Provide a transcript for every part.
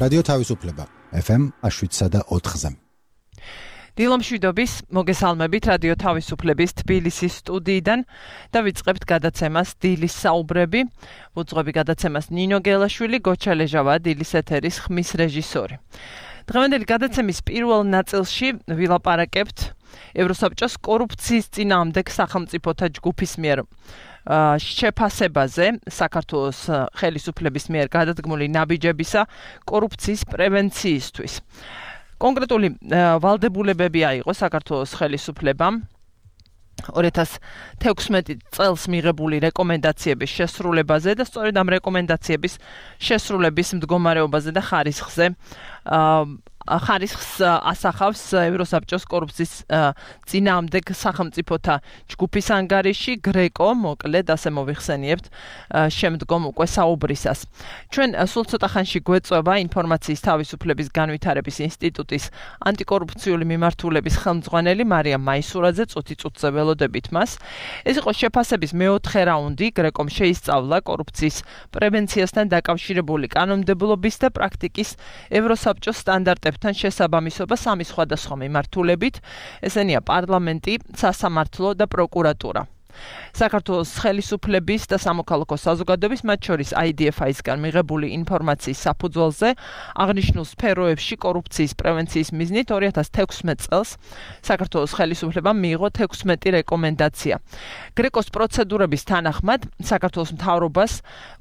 რადიო თავისუფლება FM 107.4-ზე. დილომშვიდობის მოგესალმებით რადიო თავისუფლების თბილისის სტუდიიდან და ვიწყებთ გადაცემას დილის საუბრები. ვუძღვები გადაცემას ნინო გელაშვილი, გოჩა ლეჟავა, დილის ეთერის ხმის რეჟისორი. დღევანდელი გადაცემის პირველ ნაწილში ვილაპარაკებთ ევროსაბჭოს კორუფციის წინააღმდეგ სახელმწიფოთა ჯგუფის მიერ შეფასებაზე საქართველოს ხელისუფლების მიერ გადადგმული ნაბიჯებისა კორუფციის პრევენციისთვის. კონკრეტული ვალდებულებები აიღო საქართველოს ხელისუფლებამ 2016 წელს მიღებული რეკომენდაციების შესრულებაზე და სწორედ ამ რეკომენდაციების შესრულების მდგომარეობაზე და ხარისხს ასახავს ევროსაბჭოს კორუფციის წინააღმდეგ სახელმწიფოთა ჯგუფის ანგარიში გრეკო, მოკლედ ასე მოვიხსენიებთ შემდგომ უკვე საუბრისას. ჩვენ სულ ცოტა ხანში გვეწვევა ინფორმაციის თავისუფლების განვითარების ინსტიტუტის ანტიკორუფციული მიმართულების ხელმძღვანელი მარიამ მაისურაძე, წუთი-წუთზე ველოდებით მას. ეს იყო შეფასების მეოთხე რაუნდი, გრეკომ შეისწავლა კორუფციის პრევენციასთან დაკავშირებული კანონმდებლობის და პრაქტიკის ევროსაბჭოს სტანდარტებთან შესაბამისობა სამი სხვადასხვა მიმართულებით, ესენია პარლამენტი, სასამართლო და პროკურატურა. საქართველოს ხელისუფლების და სამოქალაქო საზოგადოების, მათ შორის IDFI-სგან მიღებული ინფორმაციის საფუძველზე აღნიშნულ სფეროებში კორუფციის პრევენციის მიზნით 2016 წელს საქართველოს ხელისუფლებამ მიიღო 16 რეკომენდაცია. გრეკოს პროცედურების თანახმად საქართველოს მთავრობას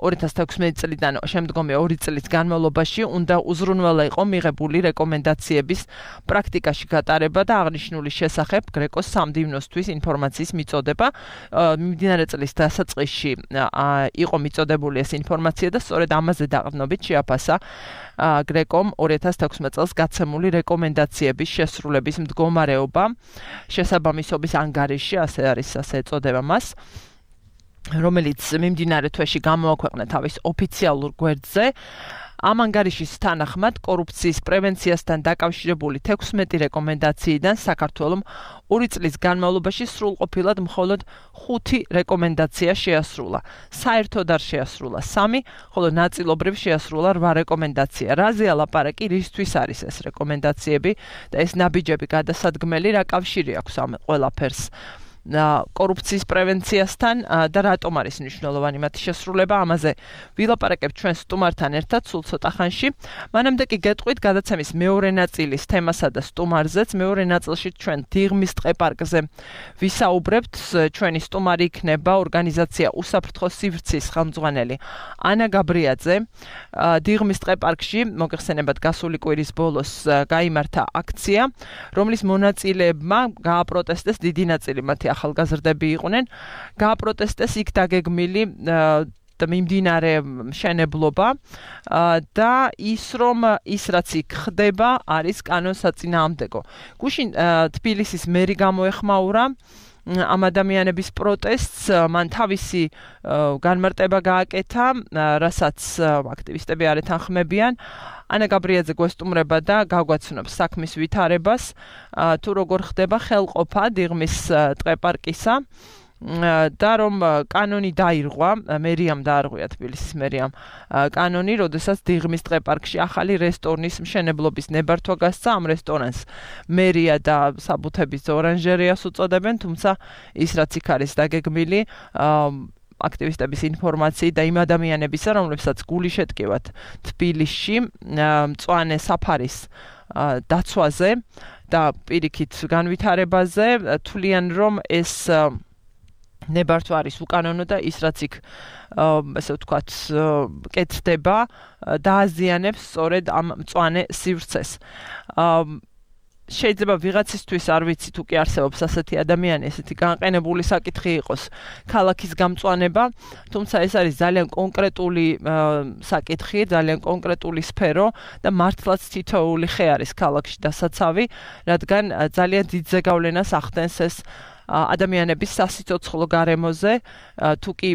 2016 წლიდან შემდგომი 2 წლის განმავლობაში უნდა უზრუნველყო მიღებული რეკომენდაციების პრაქტიკაში გატარება და აღნიშნული შესახებ გრეკოს სამდივნოსთვის ინფორმაციის მიწოდება მიმდინარე წლის დასაწყისში იყო მიწოდებული ეს ინფორმაცია და სწორედ ამაზე დაყრდნობით შეაფასა გრეკომ 2016 წელს გაცემული რეკომენდაციების შესრულების მდგომარეობა შესაბამისობის ანგარიში, ასე ეწოდება მას, რომელიც მიმდინარე თვეში გამოაქვეყნა თავის ოფიციალურ გვერდზე. ამ ანგარიშის თანახმად კორუფციის პრევენციასთან დაკავშირებული 16 რეკომენდაციიდან საქართველომ 2 წლის განმავლობაში სრულყოფილად მხოლოდ 5 რეკომენდაცია შეასრულა. საერთოდ არ შეასრულა 3, ხოლო ნაწილობრივ შეასრულა 8 რეკომენდაცია. რაზე ალაპარაკი, რისთვის არის ეს რეკომენდაციები და ეს ნაბიჯები გადასადგმელი, რა კავშირი აქვს ამ ყველაფერს კორუფციის პრევენციასთან და რატომ არის მნიშვნელოვანი მათი შესრულება, ამაზე ვილაპარაკებთ ჩვენ სტუმართან ერთად სულ ცოტა ხანში. მანამდე კი გეტყვით გადაცემის მეორე ნაწილის თემასა და სტუმარზეც. მეორე ნაწილში ჩვენ დიღმის ტყეპარკზე ვისაუბრებთ. ჩვენი სტუმარი იქნება ორგანიზაცია უსაფრთხო სივრცის ხელმძღვანელი ანა გაბრიაძე. დიღმის ტყეპარკში მოგეხსენებათ გასული კვირის ბოლოს გაიმართა აქცია, რომლის მონაწილეებმა გააპროტესტეს დიდი ნაწილი მათი ახალგაზრდები იყვნენ, გააპროტესტეს იქ დაგეგმილი და მიმდინარე მშენებლობა და ის რომ ის რაც იქ ხდება არის კანონსაწინააღმდეგო. გუშინ თბილისის მერი გამოეხმაურა ამ ადამიანების პროტესტს, მან თავისი განმარტება გააკეთა, რასაც აქტივისტები არ ეთანხმებიან. ანა გაბრიაძე გვესტუმრება და გაგვაცნობს საქმის ვითარებას, თუ როგორ ხდება ხელყოფა დიღმის ტყეპარკისა და რომ კანონი დაირღვა, მერიამ დაარღვია თბილისის მერიამ კანონი, როდესაც დიღმის ტყეპარკში ახალი რესტორნის მშენებლობის ნებართვა გასცა. ამ რესტორანს მერია და საბუთების ორანჟერიას უწოდებენ, თუმცა ის რაც იქ არის დაგეგმილი აქტივისტების ინფორმაციით და იმ ადამიანებისა, რომლებსაც გული შეტკივათ თბილისში მწვანე საფარის დაცვაზე და პირიქით განვითარებაზე, თვლიან რომ ეს ნებართვა არის უკანონო და ის რაც იქ ესე ვთქვათ კეთდება დააზიანებს სწორედ ამ მწვანე სივრცეს. შეიძლება ვიღაცისთვის არ ვიცი თუ კი არსებობს ასეთი ადამიანი, ესეთი განყენებული საკითხი იყოს ქალაქის გამწვანება, თუმცა ეს არის ძალიან კონკრეტული საკითხი, ძალიან კონკრეტული სფერო და მართლაც თითოეული ხე არის ქალაქში დასაცავი, რადგან ძალიან დიდ ზეგავლენას ახდენს ეს ადამიანების სასიცოცხლო გარემოზე, თუ კი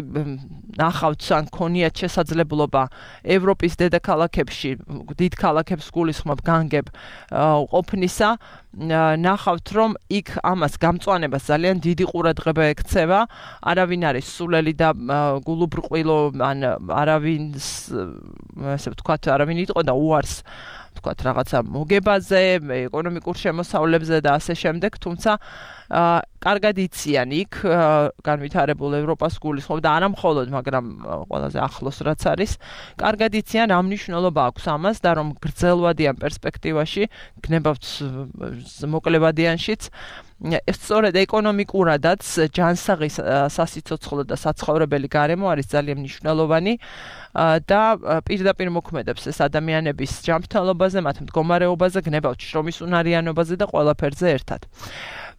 ნახავთ ან ქონიათ შესაძლებლობა ევროპის დედაქალაქებში, დიდ ქალაქებს გულისხმობ განგებ ყოფნისა, ნახავთ რომ იქ ამას გამწვანებას ძალიან დიდი ყურადღება ექცევა, არავინ არის სულელი და გულუბრყვილო, ან არავინ იტყო და უარს თქვათ რაღაცა მოგებაზე, ეკონომიკურ შემოსავლებზე და ასე შემდეგ, თუმცა კარგად იციან იქ განვითარებულ ევროპას გულისხმობ და არა მხოლოდ, მაგრამ ყველაზე ახლოს რაც არის, კარგად იციან რა მნიშვნელობა აქვს ამას და რომ გრძელვადიან პერსპექტივაში, გნებავთ მოკლებადიანშიც, სწორედ ეკონომიკურადაც ჯანსაღი სასიცოცხლო და საცხოვრებელი გარემო არის ძალიან მნიშვნელოვანი და პირდაპირ მოქმედებს ეს ადამიანების ჯანმრთელობაზე, მათ მდგომარეობაზე, გნებავთ შრომის უნარიანობაზე და ყველაფერზე ერთად.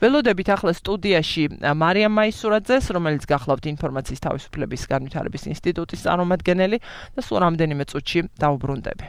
ველოდებით ახლა სტუდიაში მარიამ მაისურაძეს, რომელიც გახლავთ ინფორმაციის თავისუფლების განვითარების ინსტიტუტის წარმომადგენელი და სულ რამდენიმე წუთში დავუბრუნდები.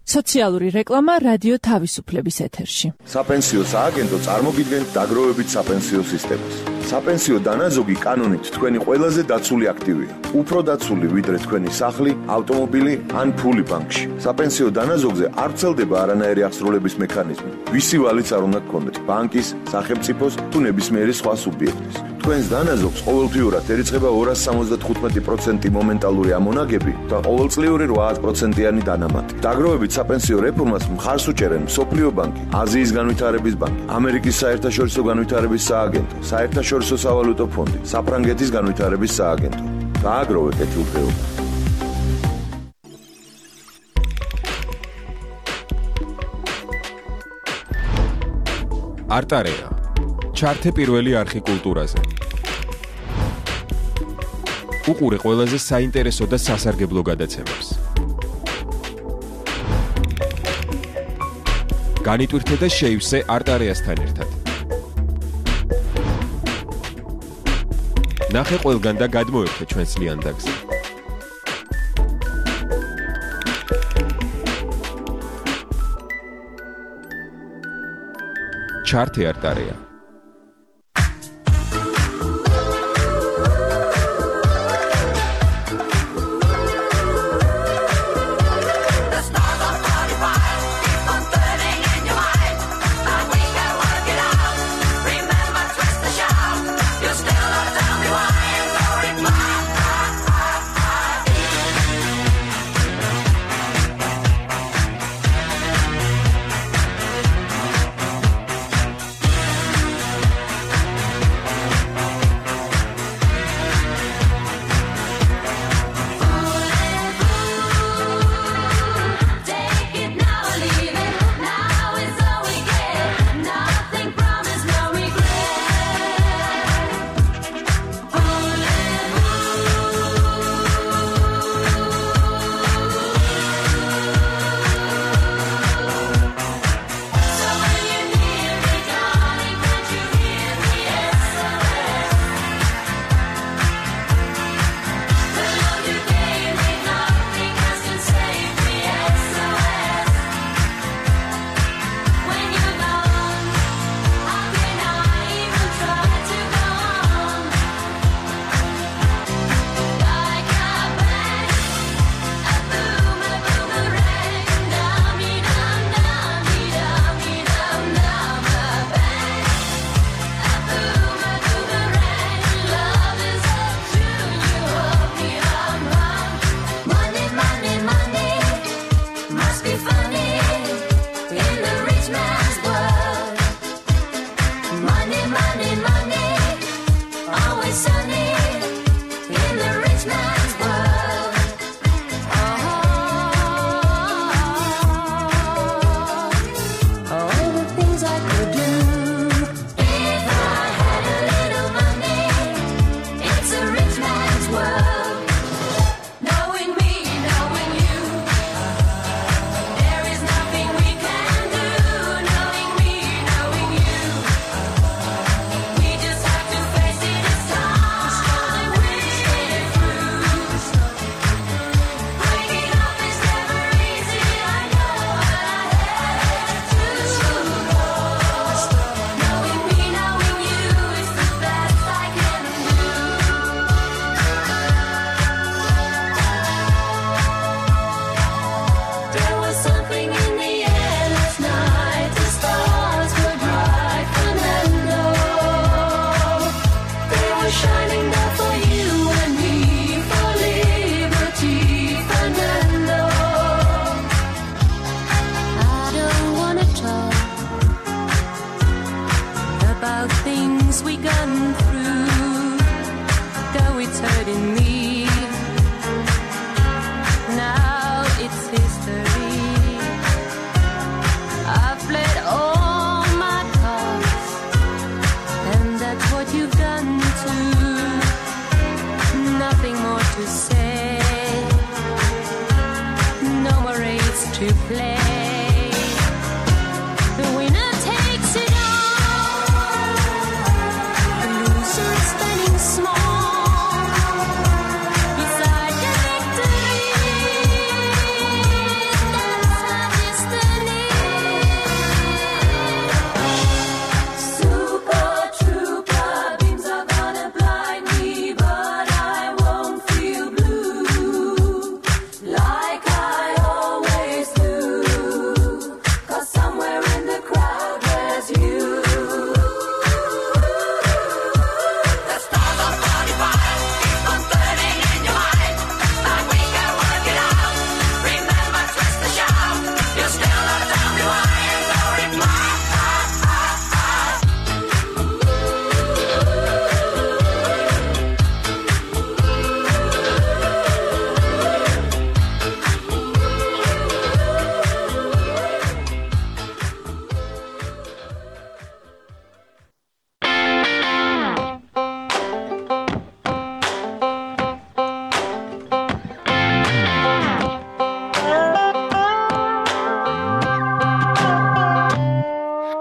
სოციალური რეკლამა რადიო თავისუფლების ეთერში. საპენსიო სააგენტო წარმოგიდგენთ დაგროვებით საპენსიო სისტემას. საპენსიო დანაზოგი კანონით თქვენი ყველაზე დაცული აქტივია. უფრო დაცული ვიდრე თქვენი სახლი, ავტომობილი ან ფული ბანკში. საპენსიო დანაზოგზე არ ვრცელდება არანაირი აღსრულების მექანიზმი. ვისი ვალიც არ უნდა გქონდეთ, ბანკის, სახელმწიფოს თუ ნებისმიერი სხვა სუბიექტის. თქვენს დანაზოგს ყოველთვიურად ერიცხება 275% მომენტალური ამონაგები და ყოველწლიური 8%-იანი დანამატი. დაგროვებით საპენსიო რეფორმას მხარს უჭერენ მსოფლიო ბანკი, აზიის განვითარების ბანკი, ამერიკის საერთაშორისო განვითარების სააგენტო, საერთაშორისო სავალუტო ფონდი, საფრანგეთის განვითარების სააგენტო. გააგროვე კეთილდღეობა. არტარეა. ჩართე პირველი არხი კულტურაზე. უყურე ყველაზე საინტერესო და სასარგებლო გადაცემებს. განიტვირთე და შეივსე არტარეასთან ერთად. ნახე ყველგან და გადმოერთე ჩვენს ლიანდაგზე. ჩართე არტარეა. hurting me. Now it's history. I've played all my cards, and that's what you've done too. Nothing more to say, no more race to play. The winner takes it all, the loser is standing small beside the victory. That's our destiny. Super trooper, beams are gonna blind me, but I won't feel blue like I always do. 'Cause somewhere in the crowd there's you. The stars are 45, keep on burning in your mind, but we can work it out. Remember, twist the shout. You're still not tell me why, and no reply.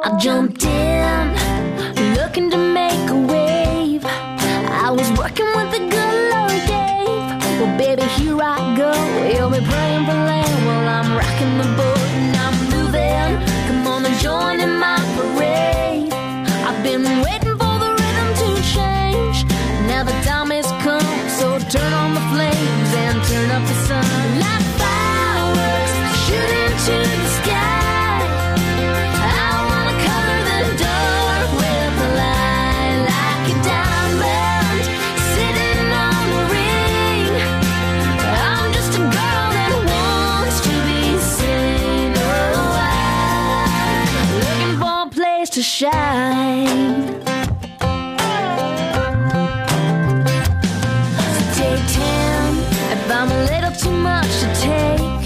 I jumped in, looking to make a wave. I was working with the good Lord Dave. Well, baby, here I go. You'll be praying for land while I'm rocking the boat and I'm moving. Come on and join in my parade. I've been waiting for the rhythm to change. Now the time has come, so turn on the flames and turn up the sun. Like fireworks shooting to the sky, I wanna color the dark with the light. Like a diamond sitting on the ring, I'm just a girl that wants to be seen. Oh, I'm looking for a place to shine. So take 10 if I'm a little too much to take.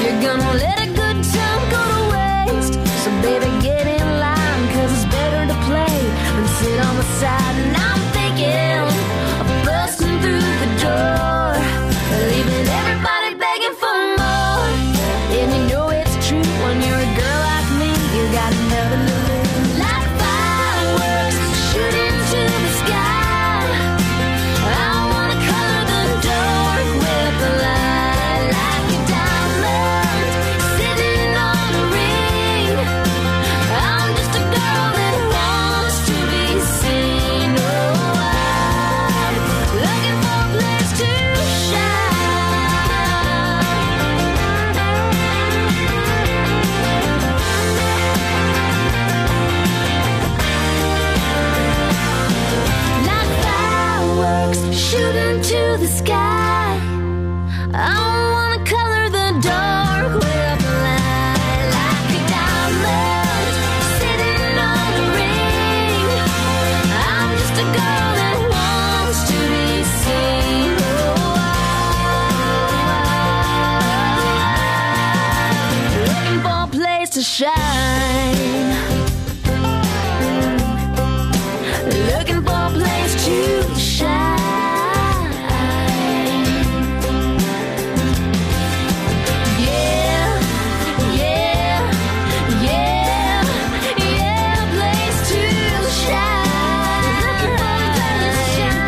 You're gonna let a good time go to waste. So baby, get in line, 'cause it's better to play than sit on the side. And I'm thinking of busting through the door, leaving everybody begging for more. And you know it's true, when you're a girl like me, you got nothing to lose. Like fireworks shooting to the sky, I wanna color the dark with the light. Like a diamond sitting on a ring, I'm just a girl that wants to be seen. Oh, I'm looking for a place to shine. Like fireworks shooting to the sky, I wanna color the dark with the light. Like a diamond sitting on the ring, I'm just a girl that wants to be seen. Oh, I'm looking for a place to shine. Looking for a place to shine. Yeah, yeah, yeah, yeah, place to shine. Looking for a place to shine.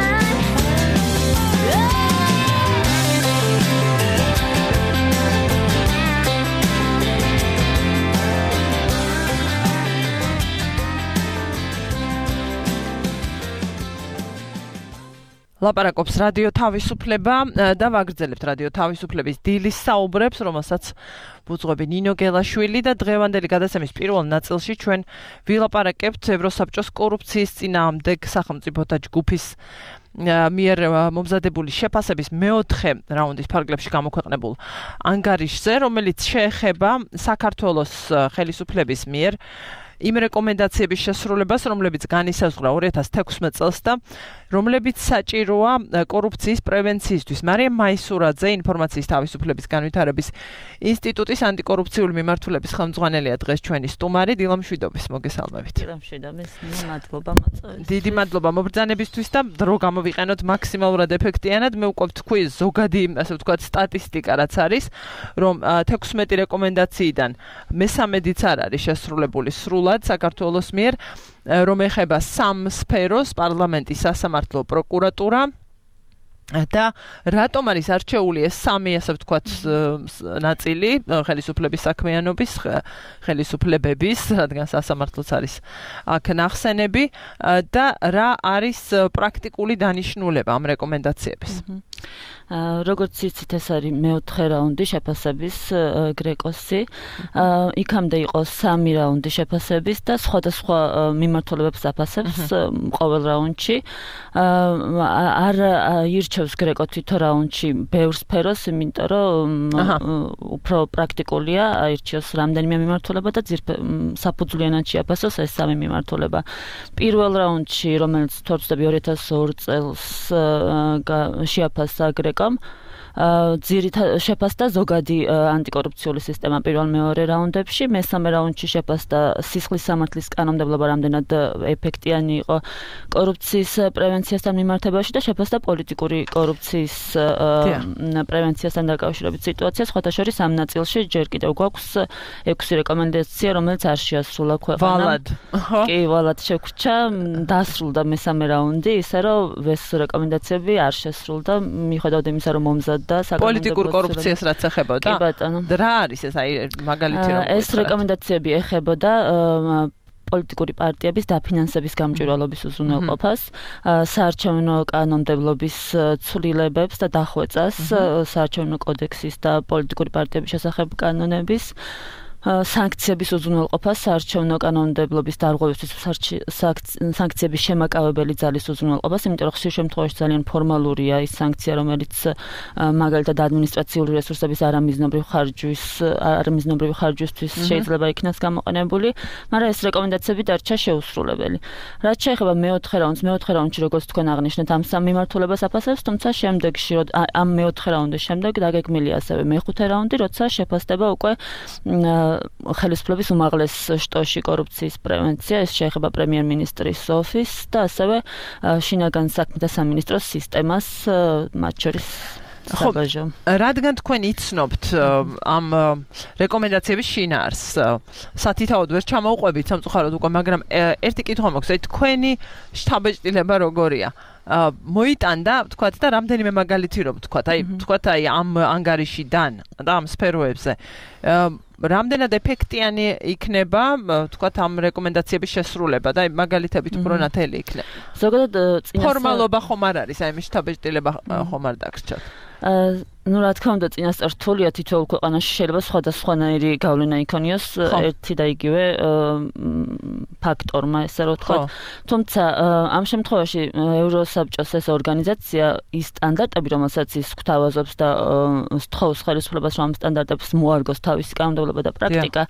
ლაპარაკობს რადიო თავისუფლება და ვაგრძელებთ რადიო თავისუფლების დილის საუბრებს, რომელსაც ბუძღვები ნინო გელაშვილი და დღევანდელი გადაცემის პირველ ნაწილში ჩვენ ვილაპარაკებთ ევროსაბჭოს კორუფციის წინააღმდეგ სახელმწიფოთა ჯგუფის მიერ მომზადებული შეფასების მეოთხე რაუნდის ფარგლებში გამოქვეყნებულ ანგარიშზე, რომელიც შეეხება საქართველოს ხელისუფლების მიერ იმ რეკომენდაციების შესრულებას, რომლებიც განისაზღვრა 2016 წელს და რომლებიც საჭიროა კორუფციის პრევენციისთვის. მარიამ მაისურაძე, ინფორმაციის თავისუფლების განვითარების ინსტიტუტის ანტიკორუფციული მიმართულების ხელმძღვანელია დღეს ჩვენი სტუმარი. დილა მშვიდობის, მოგესალმებით. დილა მშვიდობის, მადლობა მოწვევისთვის. დიდი მადლობა მობრძანებისთვის და დრო გამოვიყენოთ მაქსიმალურად ეფექტიანად. მე უკვე ვთქვი ზოგადი, ასე ვთქვათ, სტატისტიკა რაც არის, რომ 16 რეკომენდაციიდან მე-13-იც არ არის შესრულებული სრულად საქართველოს მიერ, რომ ეხება 3 სფეროს: პარლამენტი, სასამართლო, პროკურატურა. და რატომ არის არჩეული ეს 3, ასე ვთქვათ, ნაწილი ხელისუფლების საქმიანობის, ხელისუფლებების, რადგან სასამართლოც არის აქ ნახსენები და რა არის პრაქტიკული დანიშნულება ამ რეკომენდაციების? როგორც იცით, ეს არის მეოთხე რაუნდი შეფასების გრეკოსი. იქამდე იყო 3 რაუნდი შეფასების და სხვადასხვა მიმართულებებს აფასებს ყოველ რაუნდში. არ ირჩევს გრეკო თვითონ რაუნდში ბევრ სფეროს, იმიტომ რომ უფრო პრაქტიკულია აირჩიოს რამდენიმე მიმართულება და საფუძვლიანად შეაფასოს ეს 3 მიმართულება. პირველ რაუნდში, რომელიც თორცდები 2002 წელს შეაფასა გრეკომ, შეფასდა ზოგადი ანტიკორუფციული სისტემა პირველ-მეორე რაუნდებში, მესამე რაუნდში შეფასდა სისხლის სამართლის კანონმდებლობა რამდენად ეფექტიანი იყო კორუფციის პრევენციასთან მიმართებაში და შეფასდა პოლიტიკური კორუფციის პრევენციასთან დაკავშირებით სიტუაციას. სხვათა შორის ამ ნაწილში ჯერ კიდევ გვაქვს 6 რეკომენდაცია, რომელიც არ შეასრულა ქვეყანამ. კი, ვალად შეგვრჩა, დასრულდა მესამე რაუნდი, ისე რომ ეს რეკომენდაციები არ შესრულდა, მიუხედავად იმისა, რომ მომზადდა პოლიტიკურ კორუფციას რაც ეხებოდა. კი ბატონო. რა არის ეს, აი მაგალითი რომ ეს რეკომენდაციები ეხებოდა პოლიტიკური პარტიების დაფინანსების გამჭვირვალობის უზრუნველყოფას, საარჩევნო კანონმდებლობის ცვლილებებს და დახვეწას, საარჩევნო კოდექსის და პოლიტიკური პარტიების შესახებ კანონების სანქციების უზრუნველყოფას, საარჩევნო კანონმდებლობის დარღვევისთვის სანქციების შემაკავებელი ძალის უზრუნველყოფას, იმიტომ რომ ხშირ შემთხვევაში ძალიან ფორმალურია ის სანქცია, რომელიც მაგალითად ადმინისტრაციული რესურსების არამიზნობრივი ხარჯვისთვის შეიძლება იქნას გამოყენებული, მაგრამ ეს რეკომენდაციები დარჩა შეუსრულებელი. რაც შეეხება მეოთხე რაუნდში, როგორც თქვენ აღნიშნეთ, ამ 3 მიმართულებას აფასებს, თუმცა შემდეგში, ამ მეოთხე რაუნდის შემდეგ დაგეგმილია ასევე მეხუთე რაუნდი, როცა შეფასდება უკვე ხელისუფლების უმაღლეს შტოში კორუფციის პრევენცია, ეს შეეხება პრემიერ-მინისტრის ოფისს და ასევე შინაგან საქმეთა სამინისტროს სისტემას, მათ შორის საბაჟო. რადგან თქვენ იცნობთ ამ რეკომენდაციების შინაარსს, სათითაოდ ვერ ჩამოუყვებით სამწუხაროდ უკვე, მაგრამ ერთი კითხვა მაქვს, აი თქვენი შთაბეჭდილება როგორია? მოიტანდა, თქვათ და რამდენიმე მაგალითი რომ თქვათ აი ამ ანგარიშიდან და ამ სფეროებზე რამდენად ეფექტიანი იქნება, თქვათ ამ რეკომენდაციების შესრულება და მაგალითებით უფრო ნათელი იქნება. ზოგადად ფორმალობა ხომ არ არის, აი შთაბეჭდილება ხომ არ დაგრჩათ. Ну, რა თქმა უნდა, წინასწარ რთულია თითოეულ ქვეყანაში შეიძლება სხვადასხვანაირი გავლენა იქონიოს ერთი და იგივე ფაქტორმა, ესე რომ ვთქვათ. თუმცა ამ შემთხვევაში ევროსაბჭოს ეს ორგანიზაცია ის სტანდარტები, რომელსაც ის გვთავაზობს და სთხოვს ხელისუფლებას, რომ ამ სტანდარტებს მოარგოს თავისი კანონმდებლობა და პრაქტიკა,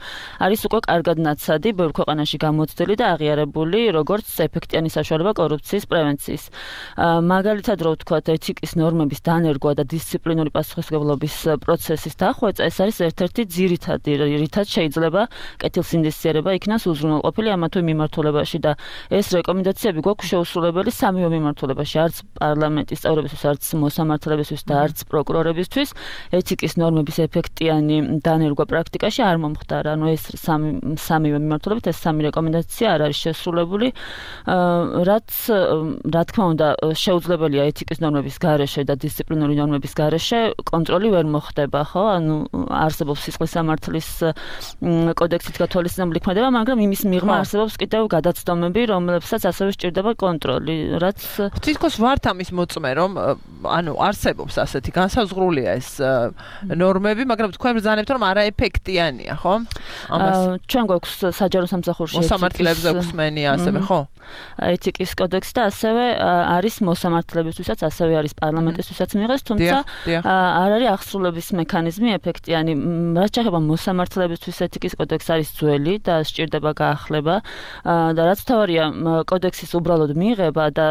არის უკვე კარგად ნაცადი ბევრ ქვეყანაში გამოცდილი და აღიარებული როგორც ეფექტიანი საშუალება კორუფციის პრევენციის. მაგალითად, რო ვთქვათ, ეთიკის ნორმების დანერგვა და დისციპლინური პასუხისმგებლობის პროცესის დახვეწა, ეს არის ერთ-ერთი ძირითადი, რითაც შეიძლება კეთილსინდისიერება იქნას უზრუნველყოფილი ამა თუ იმ მიმართულებაში და ეს რეკომენდაციები გვაქვს შეუსრულებელი 3 მიმართულებაში, არც პარლამენტის წევრებისთვის, არც მოსამართლებისთვის და არც პროკურორებისთვის. ეთიკის ნორმების ეფექტიანი დანერგვა პრაქტიკაში არ მომხდარა. ანუ ეს 3 მიმართულებით ეს 3 რეკომენდაცია არ არის შესრულებული, რაც რა თქმა უნდა შეუძლებელია ეთიკის ნორმების გარეშე და დისციპლინური ნორმების გარეშე კონტროლი ვერ მოხდება, ხო? ანუ არსებობს სისხლის სამართლის კოდექსით გათვალისწინებული ქმედება, მაგრამ იმის მიღმა არსებობს კიდევ გადაცდომები, რომლებსაც ასევე სჭირდება კონტროლი, რაც თითქოს ვართ ამის მოწმე, რომ ანუ არსებობს ასეთი განსაზღვრულია ეს ნორმები, მაგრამ თქვენ ბრძანებთ, რომ არაეფექტიანია, ხო? ჩვენ გვაქვს საჯარო სამსახურში მოსამართლეებზე გვსმენია ასევე, ხო? ეთიკის კოდექსი და ასევე არის მოსამართლებისთვისაც, ასევე არის პარლამენტისთვისაც მიიღეს, თუმცა არ არის აღსრულების მექანიზმი ეფექტიანი. რაც შეეხება მოსამართლებისთვის ეთიკის კოდექსი არის ძველი და სჭირდება გაახლება და რაც თავარია კოდექსის უბრალოდ მიღება და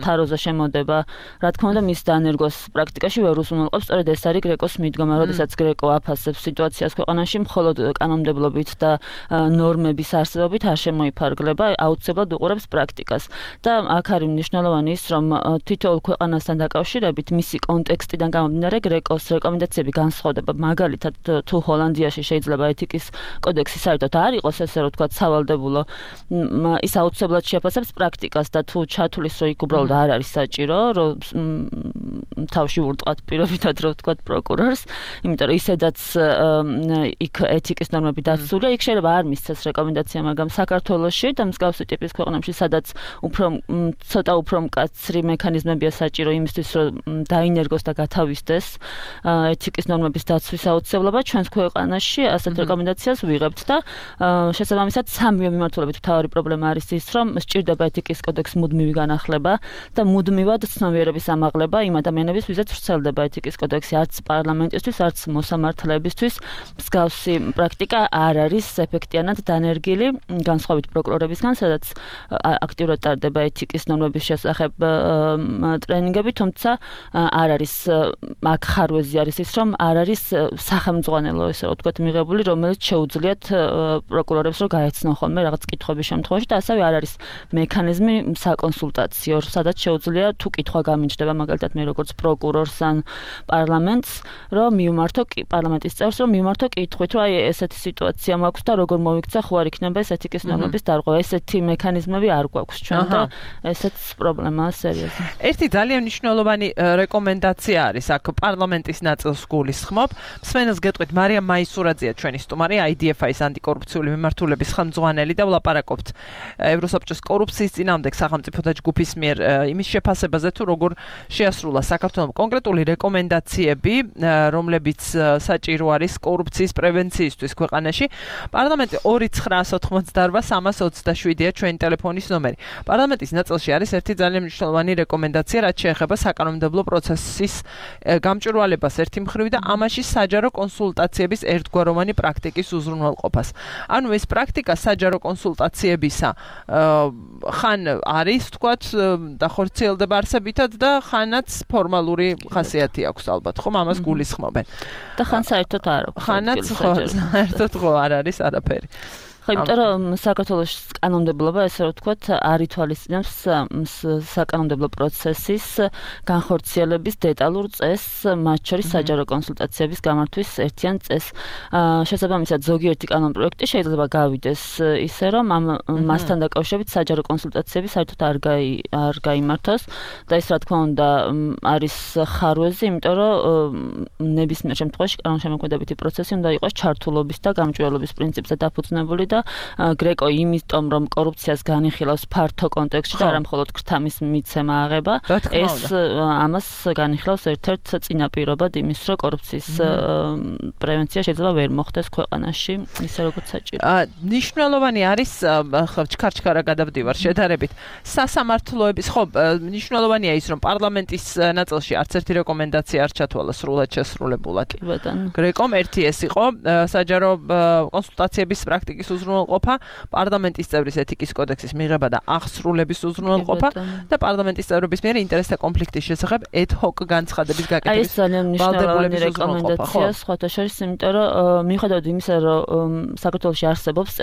თაროზე შემოდება, რა თქმა უნდა მის დანერგვას პრაქტიკაში ვერ უზრუნველყოფს, სწორედ ეს არის გრეკოს მიდგომა, როდესაც გრეკო აფასებს სიტუაციას ქვეყანაში მხოლოდ კანონმდებლობით და ნორმების არსებობით არ შემოიფარგლება, აუცილებლად უყურებს პრაქტიკას. და აქ არის მნიშვნელოვანი ის, რომ თითოეულ ქვეყანასთან დაკავშირებით მისი კონტექსტიდან გამომდინარე გრეკოს რეკომენდაციები განსხვავდება. მაგალითად, თუ ჰოლანდიაში შეიძლება ეთიკის კოდექსი საერთოდ არ იყოს ესე რომ თქვა სავალდებულო, ის აუცილებლად შეაფასებს პრაქტიკას და თუ ჩათulis რომ იქ უბრალოდ არ არის საჭირო, რომ თავში ურტყათ პირობითად რომ თქვა პროკურორს, იმიტომ რომ ისედაც იქ ეთიკის ნორმები დაცულია, იქ შეიძლება არ მისცეს რეკომენდაცია, მაგრამ საქართველოში და მსგავსი ტიპის ქვეყნებში, სადაც ცოტა უფრო მკაცრი მექანიზმებია საჭირო იმისთვის, რომ დაინერგოს და გათავისდეს ეთიკის ნორმების დაცვის აუცილებლობა, ჩვენს ქვეყანაში ასეთ რეკომენდაციას ვიღებთ და შესაბამისად სამივე მიმართულებით მთავარი პრობლემა არის ის, რომ სჭირდება ეთიკის კოდექსის მუდმივი განახლება და მუდმივად ცნობიერების ამაღლება იმ ადამიანების, ვისაც ვრცელდება ეთიკის კოდექსი, არც პარლამენტისთვის, არც მოსამართლეებისთვის მსგავსი პრაქტიკა არ არის ეფექტიანად დანერგილი, განსხვავებით პროკურორებისგან, სადაც აქტიურად ტარდება ეთიკის ნორმების შესახებ ტრენინგები, თუმცა არ არის აქ ხარვეზი არის ის, რომ არ არის სახელმძღვანელო ესე ვთქვათ მიღებული, რომელიც შეუძლიათ პროკურორებს რომ გაეცნო ხოლმე რაღაც კითხვების შემთხვევაში და ასევე არ არის მექანიზმი საკონსულტაციო, სადაც შეუძლია თუ კითხვა გამიჩნდება, მაგალითად მე როგორც პროკურორს ან პარლამენტს, რომ მივმართო პარლამენტის წევრს, რომ მივმართო კითხვით, რომ აი ესეთი სიტუაცია მაქვს და როგორ მოვიქცა, ხო არ იქნება ეს ეთიკის ნორმების დარღვევა. ესეთი მექანიზმები არ გვაქვს ჩვენ და ესეც პრობლემაა სერიოზული. ერთი ძალიან მნიშვნელოვანი რეკომენდაცია არის აქ პარლამენტის ნაწილს გულისხმობ. მსმენელს გეტყვით, მარიამ მაისურაძეა ჩვენი სტუმარი, IDFI-ის ანტიკორუფციული მიმართულების ხელმძღვანელი და ვლაპარაკობთ ევროსაბჭოს კორუფციის წინააღმდეგ სახელმწიფოთა ჯგუფის მიერ იმის შეფასებაზე, თუ როგორ შეასრულა საქართველოს კონკრეტული რეკომენდაციები, რომლებიც საჭირო არის კორუფციის პრევენციისთვის ქვეყანაში. პარლამენტი 2988327-ია ჩვენი ტელეფონის ნომერი. პარლამენტის ნაწილში არის ერთი ძალიან მნიშვნელოვანი რეკომენდაცია, რაც შეეხება საკანონმდებლო პროცესის გამჭვირვალებას ერთი მხრივ და ამაში საჯარო კონსულტაციების ერთგვაროვანი პრაქტიკის უზრუნველყოფას. ანუ ეს პრაქტიკა საჯარო კონსულტაციებისა ხან არის, თქვათ, დახორციელდება არსებითად და ხანაც ფორმალური ხასიათი აქვს ალბათ, ხომ ამას გულისხმობენ. და ხან საერთოდ არ აქვს. ხანაც საერთოდ არ არის არაფერი. ხო, იმიტომ რომ საქართველოს კანონმდებლობა, ესე რომ ვთქვათ, არ ითვალისწინებს საკანონმდებლო პროცესის განხორციელების დეტალურ წესს, მათ შორის საჯარო კონსულტაციების გამართვის ერთიან წესს. შესაბამისად, ზოგიერთი კანონპროექტი შეიძლება გავიდეს ისე, რომ მასთან დაკავშირებით საჯარო კონსულტაციები საერთოდ არ გაიმართოს და ეს რა თქმა უნდა არის ხარვეზი, იმიტომ რომ ნებისმიერ შემთხვევაში კანონშემოქმედებითი პროცესი უნდა იყოს ჩართულობის და გამჭვირვალობის პრინციპზე დაფუძნებული და გრეკო იმიტომ რომ კორუფციას განიხილავს ფართო კონტექსტში და არა მხოლოდ ქრთამის მიცემა აღება, ეს ამას განიხილავს ერთ-ერთ წინაპირობად იმის, რომ კორუფციის პრევენცია შეიძლება ვერ მოხდეს ქვეყანაში, ისე როგორც საჭირო. მნიშვნელოვანი არის ჩქარ-ჩქარა გადავდივარ შედარებით სასამართლოების, ხო, მნიშვნელოვანია ის, რომ პარლამენტის ნაწილში არც ერთი რეკომენდაცია არ ჩათვალა სრულად შესრულებულად. გრეკომ ერთი ეს იყო საჯარო კონსულტაციების პრაქტიკის უზრუნველყოფა, პარლამენტის წევრის ეთიკის კოდექსის მიღება და აღსრულების უზრუნველყოფა და პარლამენტის წევრების მიერ ინტერესთა კონფლიქტის შესახებ ad-hoc განცხადების გაკეთების ვალდებულების რეკომენდაცია სხვათა შორის, იმიტომ რომ მიუხედავად იმისა, რომ საქართველოში არსებობს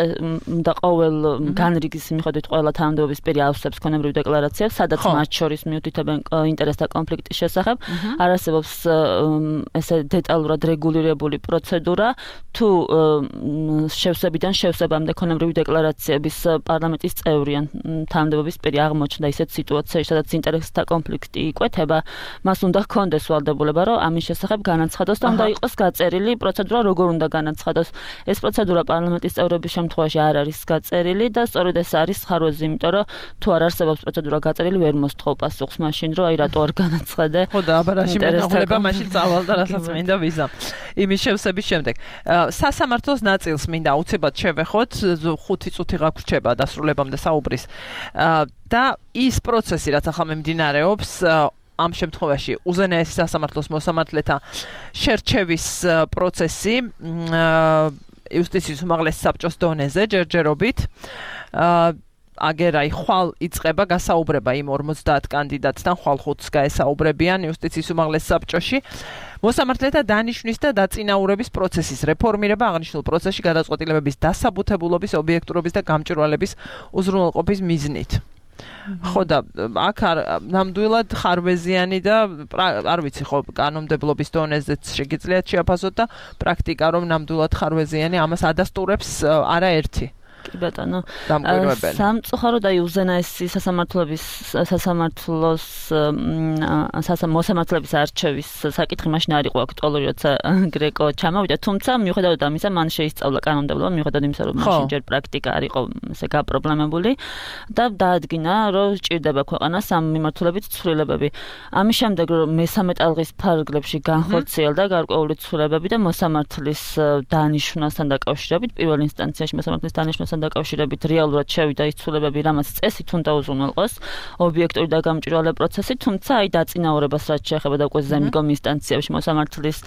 და ყოველ განრიგის მიუხედავად ყველა თანამდებობის პირი ავსებს ქონებრივ დეკლარაციებს, სადაც მათ შორის მიუთითებენ ინტერესთა კონფლიქტის შესახებ, არ არსებობს ესე დეტალურად რეგულირებული პროცედურა, თუ შევსებიდან შევსებამდე ქონებრივი დეკლარაციების პარლამენტის წევრი ან თანამდებობის პირი აღმოჩნდა ისეთ სიტუაციაში, სადაც ინტერესთა კონფლიქტი იკვეთება, მას უნდა ჰქონდეს ვალდებულება, რომ ამის შესახებ განაცხადოს და უნდა იყოს გაწერილი პროცედურა, როგორ უნდა განაცხადოს. ეს პროცედურა პარლამენტის წევრების შემთხვევაში არ არის გაწერილი და სწორედ ეს არის ხარვეზი, იმიტომ რომ თუ არ არსებობს პროცედურა გაწერილი, ვერ მოსთხოვ პასუხს მაშინ, რომ აი რატო არ განაცხადე. ხო და აბარაში მენახულება მაშინ წავალ და რასაც მინდა ვიზამ. იმის შევსების შემდეგ. სასამართლოს ნაწილს მინდა უცებად შევეხოთ, 5 წუთი გაგვრჩება დასრულებამდე საუბრის. და ის პროცესი, რაც ახლა მიმდინარეობს, ამ შემთხვევაში უზენაესი სასამართლოს მოსამართლეთა შერჩევის პროცესი იუსტიციის უმაღლეს საბჭოს დონეზე ჯერჯერობით აგერაი ხვალ იწყება გასაუბრება იმ 50 კანდიდატთან ხვალ 5-ს გაესაუბრებიან იუსტიციის უმაღლეს საბჭოში მოსამართლეთა დანიშვნის და დაწინაურების პროცესის რეფორმირება აღნიშნულ პროცესში გადაწყვეტილებების დასაბუთებულობის ობიექტურობის და გამჭვირვალების უზრუნველყოფის მიზნით ხო და აქ ნამდვილად ხარვეზიანი და არ ვიცი ხო კანონმდებლობის დონეზეც შეგიძლიათ შეაფასოთ და პრაქტიკა რომ ნამდვილად ხარვეზიანი ამას ადასტურებს არაერთი კი ბატონო დამკვირვებელი სამწუხაროდ აი უზენაესი სასამართლოს მოსამართლეების არჩევის საკითხი მაშინ არ იყო აქტუალური როცა გრეკო ჩამოვიდა თუმცა მიუხედავად ამისა მან შეისწავლა კანონმდებლობა მიუხედავად იმისა რომ მაშინ ჯერ პრაქტიკა არ იყო ესე გაპრობლემებული და დაადგინა რომ სჭირდება ქვეყანას ამ მიმართულებით ცვლილებები ამის შემდეგ რომ მესამე ტალღის ფარგლებში განხორციელდა გარკვეული ცვლილებები და მოსამართლის დანიშვნასთან დაკავშირებით პირველ ინსტანციაში მოსამართლის დანიშვნასთან დაკავშირებით რეალურად შევიდა ის ცვლილებები, რამაც წესით უნდა უზრუნველყოს ობიექტური და გამჭვირვალე პროცესი, თუმცა აი დაწინაურებას რაც შეეხება და უკვე ზემდგომ ინსტანციაში მოსამართლის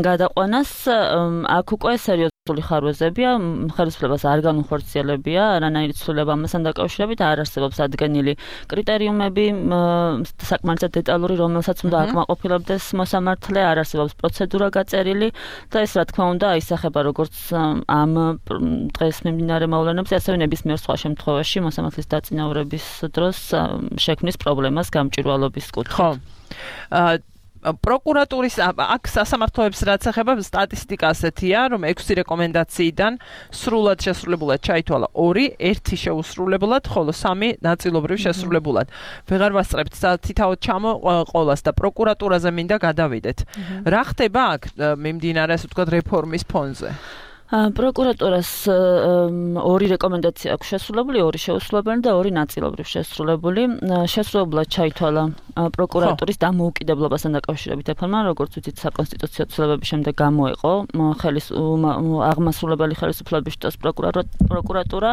გადაყვანას, აქ უკვე სერიოზული ხარვეზებია, ხელისუფლებას არ განუხორციელებია, არანაირი ცვლილება ამასთან დაკავშირებით არ არსებობს ადგენილი კრიტერიუმები, საკმარისად დეტალური, რომელსაც უნდა აკმაყოფილებდეს მოსამართლე, არ არსებობს პროცედურა გაწერილი და ეს რა თქმა უნდა აისახება როგორც ამ დღეს მიმდინარე მოვლენებზე, ასევე ნებისმიერ სხვა შემთხვევაში მოსამართლის დაწინაურების დროს შექმნის პრობლემას გამჭვირვალობის კუთხით. ხო. პროკურატურის აქ სასამართლოებს რაც ეხება სტატისტიკა ასეთია, რომ 6 რეკომენდაციიდან სრულად შესრულებულად ჩაითვალა 2, 1 შეუსრულებლად, ხოლო 3 ნაწილობრივ შესრულებულად. ვეღარ ვასწრებთ თითაოდ ჩამოყოლას და პროკურატურაზე მინდა გადავიდეთ. რა ხდება აქ მიმდინარე ასე ვთქვათ რეფორმის ფონზე? პროკურატურას 2 რეკომენდაცია აქვს შესრულებული, 2 შეუსრულებელი და 2 ნაწილობრივ შესრულებული. შესრულებლად ჩაითვალა პროკურატურის დამოუკიდებლობასთან დაკავშირებით რეფორმა, როგორც ვიცით, საკონსტიტუციო ცვლილებების შემდეგ გამოეყო აღმასრულებელი ხელისუფლების შტოს პროკურატურა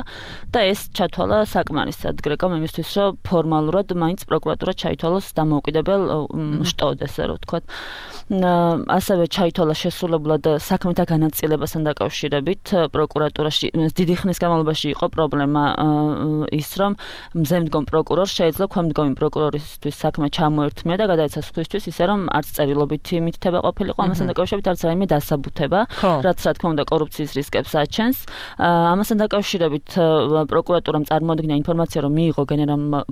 და ეს ჩათვალა საკმარისად გრეკომ იმისთვის, რომ ფორმალურად მაინც პროკურატურა ჩაითვალოს დამოუკიდებელ შტოდ, ესე რომ ვთქვათ. ასევე ჩაითვალა შესრულებლად საქმეთა განაწილებასთან დაკავშირებით პროკურატურაში დიდი ხნის განმავლობაში იყო პრობლემა ის, რომ მზემდგომ პროკურორს შეეძლო ქვემდგომი პროკურორისთვის საქმე ჩამოერთმია და გადაეცა სხვისთვის ისე, რომ არც წერილობითი მითითება ყოფილიყო ამასთან დაკავშირებით, არც რაიმე დასაბუთება, რაც რა თქმა უნდა კორუფციის რისკებს აჩენს. ამასთან დაკავშირებით პროკურატურამ წარმოადგინა ინფორმაცია, რომ მიიღო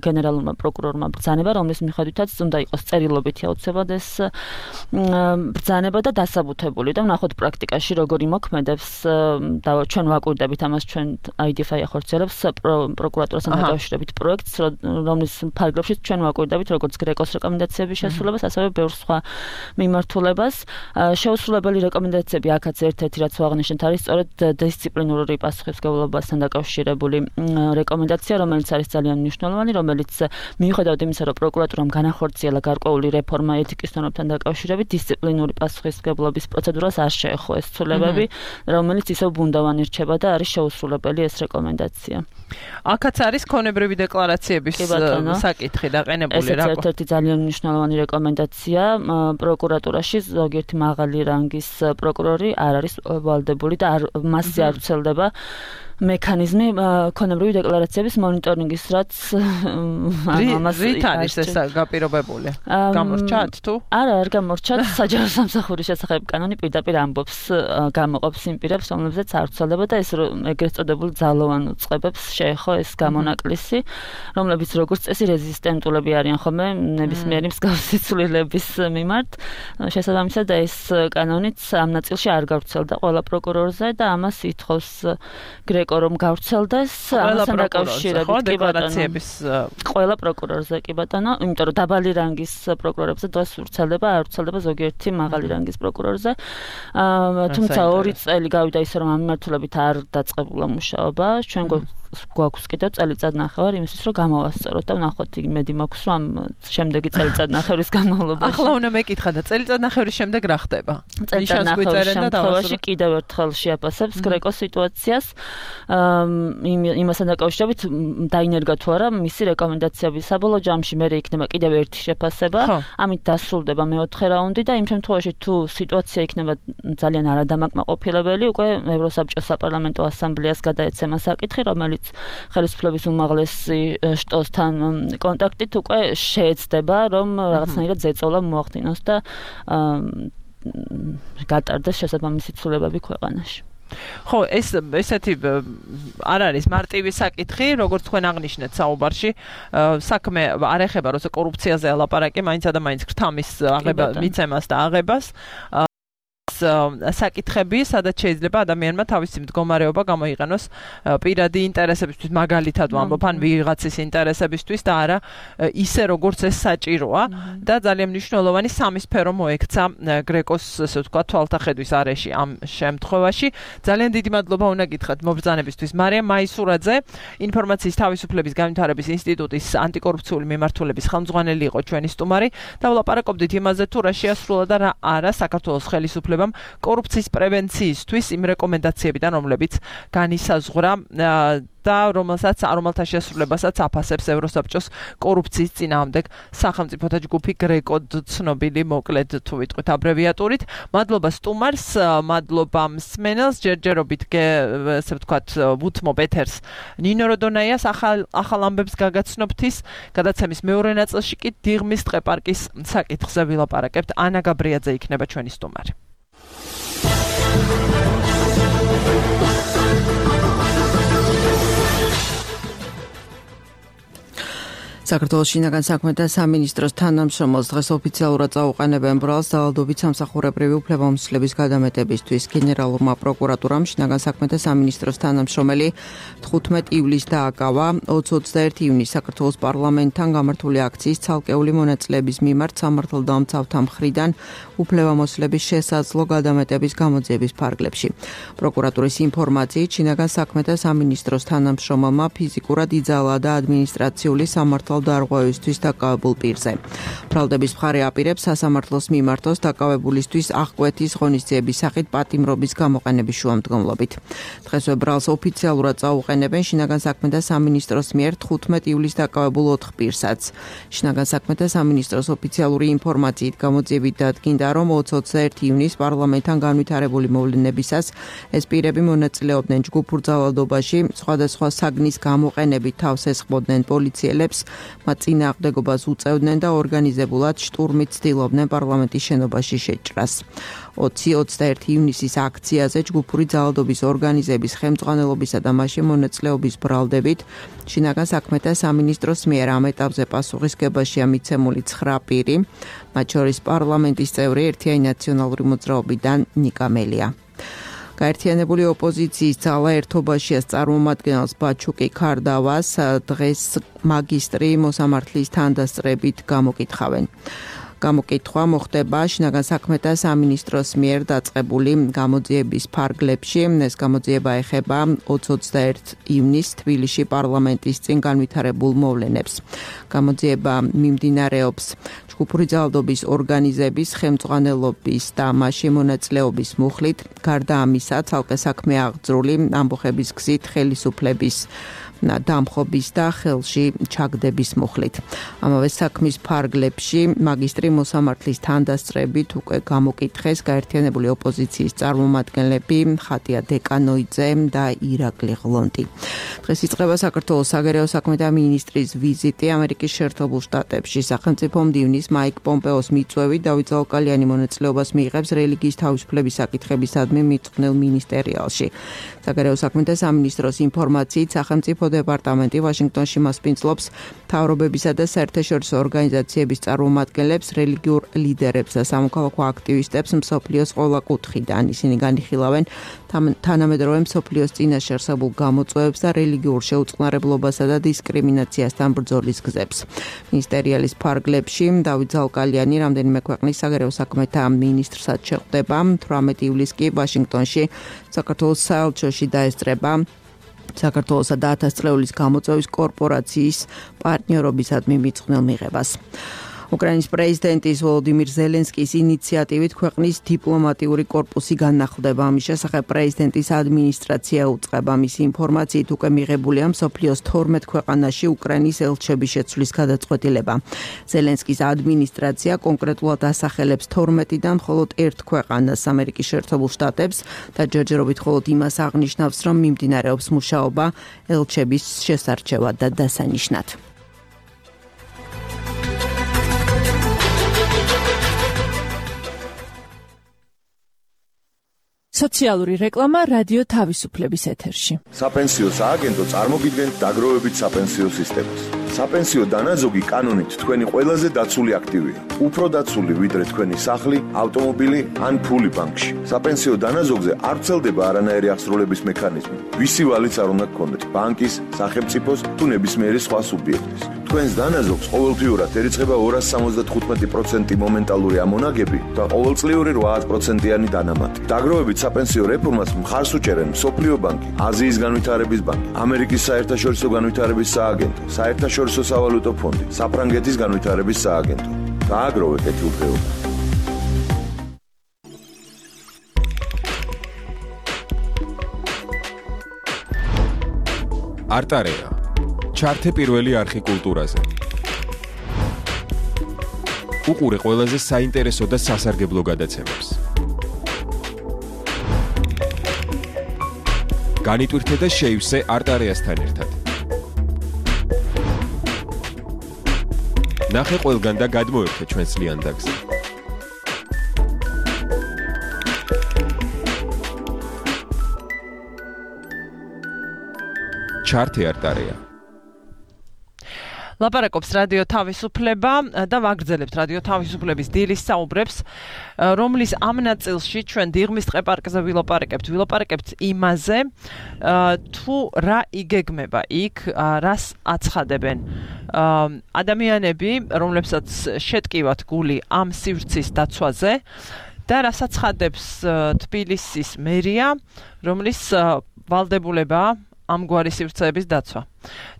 გენერალურმა პროკურორმა ბრძანება, რომლის მიხედვითაც უნდა იყოს წერილობითი აუცილებლად ეს ბრძანება და დასაბუთებული და ვნახოთ პრაქტიკაში როგორ იმოქმედებს და ჩვენ ვაკვირდებით ამას ჩვენ IDFI ახორციელებს პროკურატურასთან დაკავშირებით პროექტს, რომლის ფარგლებში ჩვენ ვაკვირდებით როგორც გრეკოს რეკომენდაციების შესრულებას, ასევე ბევრ სხვა მიმართულებას. შეუსრულებელი რეკომენდაციები აქაც ერთ-ერთი რაც ვაღნიშნეთ არის სწორედ დისციპლინური პასუხისმგებლობასთან დაკავშირებული რეკომენდაცია, რომელიც არის ძალიან მნიშვნელოვანი, რომელიც მიუხედავად იმისა, რომ პროკურატურამ განახორციელა გარკვეული რეფორმა ეთიკის ნორმებთან დაკავშირებით, დისციპლინური პასუხისმგებლობის პროცედურას არ შეეხო ეს ცვლილებები, რომელიც ისევ ბუნდოვანი რჩება და არის შეუსრულებელი ეს რეკომენდაცია. აქაც არის ქონებრივი დეკლარაციების საკითხი დაყენებული რა. ეს ერთ-ერთი ძალიან მნიშვნელოვანი რეკომენდაცია პროკურატურაში ზოგიერთი მაღალი რანგის პროკურორი არ არის ვალდებული და მასზე არ ვრცელდება მექანიზმი ქონებრივი დეკლარაციების მონიტორინგის, რაც ამას არის ეს გაპირობებული. გამორჩათ თუ? არა, არ გამორჩათ. საჯარო სამსახურის შესახებ კანონი პირდაპირ ამბობს, გამოყოფს იმ პირებს, რომლებზეც არ ვრცელდება და ეს ეგრეთ წოდებულ ძალოვან უწყებებს შეეხო ეს გამონაკლისი, რომლებიც როგორც წესი რეზისტენტულები არიან ხოლმე ნებისმიერი მსგავსი ცვლილების მიმართ. შესაბამისად და ეს კანონიც ამ ნაწილში არ გავრცელდა ყველა პროკურორზე და ამას ითხოვს რომ გავრცელდეს ამასთან დაკავშირებით დეკლარაციების ყველა პროკურორზე კი ბატონო, იმიტომ რომ დაბალი რანგის პროკურორებზე დღეს ვრცელდება, არ ვრცელდება ზოგიერთი მაღალი რანგის პროკურორზე. თუმცა 2 წელი გავიდა ისე რომ ამ მიმართულებით არ დაწყებულა მუშაობა. ჩვენ გვაქვს კიდევ წელიწადნახევარი იმისთვის, რომ გამოვასწოროთ და ვნახოთ, იმედი მაქვს, რომ შემდეგი წელიწადნახევრის განმავლობაში. ახლა უნდა მეკითხა და წელიწადნახევრის შემდეგ რა ხდება? წელიწადნახევრის შემთხვევაში კიდევ ერთხელ შეაფასებს გრეკოს სიტუაციას. იმასთან დაკავშირებით დაინერგა თუ არა მისი რეკომენდაციები. საბოლოო ჯამში მე იქნება კიდევ ერთი შეფასება. ამით დასრულდება მეოთხე რაუნდი და იმ შემთხვევაში თუ სიტუაცია იქნება ძალიან არადამაკმაყოფილებელი, უკვე ევროსაბჭოს საპარლამენტო ასამბლეას გადაეცემა საკითხი, რომელიც ხელისუფლების უმაღლესი შტოსთან კონტაქტით უკვე შეეცდება, რომ რაღაცნაირად ზეწოლა მოახდინოს და გატარდეს შესაბამისი ცვლილებები ქვეყანაში. ხო, ესეთი არ არის მარტივი საკითხი, როგორც თქვენ აღნიშნეთ საუბარში, საქმე არ ეხება როცა კორუფციაზე ელაპარაკი, მაინც და მაინც გრთამის აღება, მიცემას და აღებას. საკითხები, სადაც შეიძლება ადამიანმა თავისი მდგომარეობა გამოიყენოს პირადი ინტერესებისთვის, მაგალითად ვამბობ, ან ვიღაცის ინტერესებისთვის და არა ისე როგორც ეს საჭიროა და ძალიან მნიშვნელოვანი სამი სფერო მოექცა გრეკოს, ასე ვთქვათ, თვალთახედვის არეში ამ შემთხვევაში. ძალიან დიდი მადლობა უნდა გითხრათ მობრძანებისთვის. მარიამ მაისურაძე, ინფორმაციის თავისუფლების განვითარების ინსტიტუტის ანტიკორუფციული მიმართულების ხელმძღვანელი იყო ჩვენი სტუმარი და ვლაპარაკობდით იმაზე, თუ რა შეასრულა და რა არა საქართველოს ხელისუფლებამ კორუფციის პრევენციისთვის იმ რეკომენდაციებიდან, რომლებიც განისაზღვრა და რომელთა შესრულებასაც აფასებს ევროსაბჭოს კორუფციის წინააღმდეგ სახელმწიფოთა ჯგუფი გრეკო, ცნობილი მოკლედ თუ ვიტყვით აბრევიატურით. მადლობა სტუმარს, მადლობა მსმენელს, ჯერჯერობით ასე ვთქვათ ვუთმობ ეთერს ნინო როდონაიას ახალ ამბებს გაგაცნობთის, გადაცემის მეორე ნაწილში კი დიღმის ტყეპარკის საკითხზე ვილაპარაკებთ. ანა გაბრიაძე იქნება ჩვენი სტუმარი. საქართველოს შინაგან საქმეთა სამინისტროს თანამშრომელს დღეს ოფიციალურად წაუყენებენ ბრალს დავალდობით სამსახურებრივი უფლებამოსილების გადამეტებისთვის. გენერალურმა პროკურატურამ შინაგან საქმეთა სამინისტროს თანამშრომელი 15 ივლისს დააკავა 20-21 ივნისს საქართველოს პარლამენტთან გამართული აქციის ცალკეული მონაწილეების მიმართ სამართალდამცავთა მხრიდან უფლებამოსილების შესაძლო გადამეტების გამოძიების ფარგლებში. პროკურატურის ინფორმაციით შინაგან საქმეთა სამინისტროს თანამშრომელმა ფიზიკურად იძალა და ადმინისტრაციული სამართალდარღვევისთვის დაკავებულ პირზე. ბრალდების მხარე აპირებს სასამართლოს მიმართოს დაკავებულისთვის აღკვეთის ღონისძიების სახით პატიმრობის გამოყენების შუამდგომლობით. დღესვე ბრალს ოფიციალურად წაუყენებენ შინაგან საქმეთა სამინისტროს მიერ 15 ივლისს დაკავებულ 4 პირსაც. შინაგან საქმეთა სამინისტროს ოფიციალური ინფორმაციით გამოძიებით დადგინდა, რომ 20-21 ივნისს პარლამენტთან განვითარებული მოვლენებისას ეს პირები მონაწილეობდნენ ჯგუფურ ძალადობაში, სხვადასხვა საგნის გამოყენებით თავს ესხმოდნენ პოლიციელებს, მათ წინააღმდეგობას უწევდნენ და ორგანიზებულად შტურმით ცდილობდნენ პარლამენტის შენობაში შეჭრას. 20-21 ივნისის აქციაზე ჯგუფური ძალადობის ორგანიზების ხელმძღვანელობისა და მასში მონაწილეობის ბრალდებით შინაგან საქმეთა სამინისტროს მიერ ამ ეტაპზე პასუხისგებაშია მიცემული 9 პირი, მათ შორის პარლამენტის წევრი ერთიანი ნაციონალური მოძრაობიდან ნიკა მელია. გაერთიანებული ოპოზიციის ძალა ერთობაშია წარმომადგენელს ბაჩუკი ქარდავას დღეს მაგისტრი მოსამართლის თანდასწრებით გამოკითხავენ. გამოკითხვა მოხდება შინაგან საქმეთა სამინისტროს მიერ დაწყებული გამოძიების ფარგლებში. ეს გამოძიება ეხება 20-21 ივნისს თბილისში პარლამენტის წინ განვითარებულ მოვლენებს. გამოძიება მიმდინარეობს ჯგუფური ძალადობის ორგანიზების ხელმძღვანელობის და მასში მონაწილეობის მუხლით. გარდა ამისა, ცალკე საქმე აღძრული ამბოხების გზით ხელისუფლების დამხობის და ხელში ჩაგდების მუხლით. ამავე საქმის ფარგლებში მაგისტრი მოსამართლის თანდასწრებით უკვე გამოკითხეს გაერთიანებული ოპოზიციის წარმომადგენლები ხატია დეკანოიძე და ირაკლი ღლონტი. დღეს იწყება საქართველოს საგარეო საქმეთა მინისტრის ვიზიტი ამერიკის შეერთებულ შტატებში. სახელმწიფო მდივნის მაიკ პომპეოს მიწვევით დავით ზაუკალიანი მონაწილეობას მიიღებს რელიგიის თავისუფლების საკითხებისადმი მიწყვნილ მინისტერიალში. საგარეო საქმეთა სამინისტროს ინფორმაციით სახელმწიფო დეპარტამენტი ვაშინგტონში მასპინძლობს მთავრობებისა და საერთაშორისო ორგანიზაციების წარმომადგენლებს, რელიგიურ ლიდერებს და სამოქალაქო აქტივისტებს მსოფლიოს ყველა კუთხიდან. ისინი განიხილავენ თანამედროვე მსოფლიოს წინაშე არსებულ გამოწვევებს და რელიგიურ შეუწყნარებლობასა და დისკრიმინაციასთან ბრძოლის გზებს. მინისტერიალის ფარგლებში დავით ზაუკალიანი რამდენიმე ქვეყნის საგარეო საქმეთა მინისტრსაც შეხვდება. 18 ივლისს კი ვაშინგტონში საქართველოს საელჩოში დაესწრება საქართველოსა და 1000 წლეულის გამოწვევის კორპორაციის პარტნიორობისადმი მიწყვნილ მიღებას. უკრაინის პრეზიდენტის ვოლოდიმირ ზელენსკის ინიციატივით ქვეყნის დიპლომატიური კორპუსი განახლდება. ამის შესახებ პრეზიდენტის ადმინისტრაცია უწყება. მისი ინფორმაციით უკვე მიღებულია მსოფლიოს 12 ქვეყანაში უკრაინის ელჩების შეცვლის გადაწყვეტილება. ზელენსკის ადმინისტრაცია კონკრეტულად ასახელებს 12-დან მხოლოდ ერთ ქვეყანას, ამერიკის შეერთებულ შტატებს და ჯერჯერობით მხოლოდ იმას აღნიშნავს, რომ მიმდინარეობს მუშაობა ელჩების შესარჩევად და დასანიშნად. სოციალური რეკლამა რადიო თავისუფლების ეთერში. საპენსიო სააგენტო წარმოგიდგენთ დაგროვებით საპენსიო სისტემას. საპენსიო დანაზოგი კანონით თქვენი ყველაზე დაცული აქტივია. უფრო დაცული ვიდრე თქვენი სახლი, ავტომობილი ან ფული ბანკში. საპენსიო დანაზოგზე არ ვრცელდება არანაირი აღსრულების მექანიზმი. ვისი ვალიც არ უნდა გქონდეთ, ბანკის, სახელმწიფოს თუ ნებისმიერი სხვა სუბიექტის. თქვენს დანაზოგს ყოველთვიურად ერიცხება 275% მომენტალური ამონაგები და ყოველწლიური 8%-იანი დანამატი. დაგროვებით საპენსიო რეფორმას მხარს უჭერენ მსოფლიო ბანკი, აზიის განვითარების ბანკი, ამერიკის საერთაშორისო განვითარების სააგენტო, საერთაშორისო სავალუტო ფონდი, საფრანგეთის განვითარების სააგენტო. დააგროვეთ ეთილდღეობა. არტარეა. ჩართე პირველი არხი კულტურაზე. უყურე ყველაზე საინტერესო და სასარგებლო გადაცემებს. განიტვირთე და შეივსე არტარეასთან ერთად. ნახე ყველგან და გადმოერთე ჩვენს ლიანდაგზე. ჩართე არტარეა. ლაპარაკობს რადიო თავისუფლება და ვაგრძელებთ რადიო თავისუფლების დილის საუბრებს, რომლის ამ ნაწილში ჩვენ დიღმის ტყეპარკზე ვილაპარაკებთ იმაზე, თუ რა იგეგმება იქ, რას აცხადებენ ადამიანები, რომლებსაც შეტკივათ გული ამ სივრცის დაცვაზე და რას აცხადებს თბილისის მერია, რომლის ვალდებულებაა ამგვარი სივრცეების დაცვა.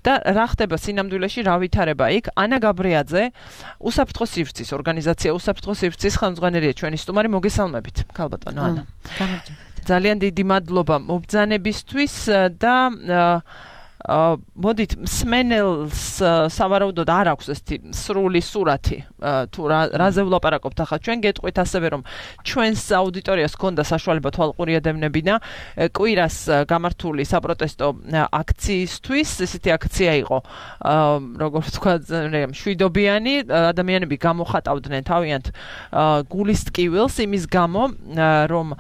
და რა ხდება სინამდვილეში, რა ვითარება იქ? ანა გაბრიაძე, უსაფრთხო სივრცის ორგანიზაცია უსაფრთხო სივრცის ხელმძღვანელია ჩვენი სტუმარი, მოგესალმებით, ქალბატონო ანა. ძალიან დიდი მადლობა მობრძანებისთვის და მოდით მსმენელს სავარაუდოდ არ აქვს ესეთი სრული სურათი თუ რაზე ვლაპარაკობთ ახლა ჩვენ გეტყვით ასევე რომ ჩვენს აუდიტორიას ჰქონდა საშუალება თვალყური ედევნებინა კვირას გამართული საპროტესტო აქციისთვის ესეთი აქცია იყო როგორც თქვა მშვიდობიანი ადამიანები გამოხატავდნენ თავიანთ გულის ტკივილს იმის გამო რომ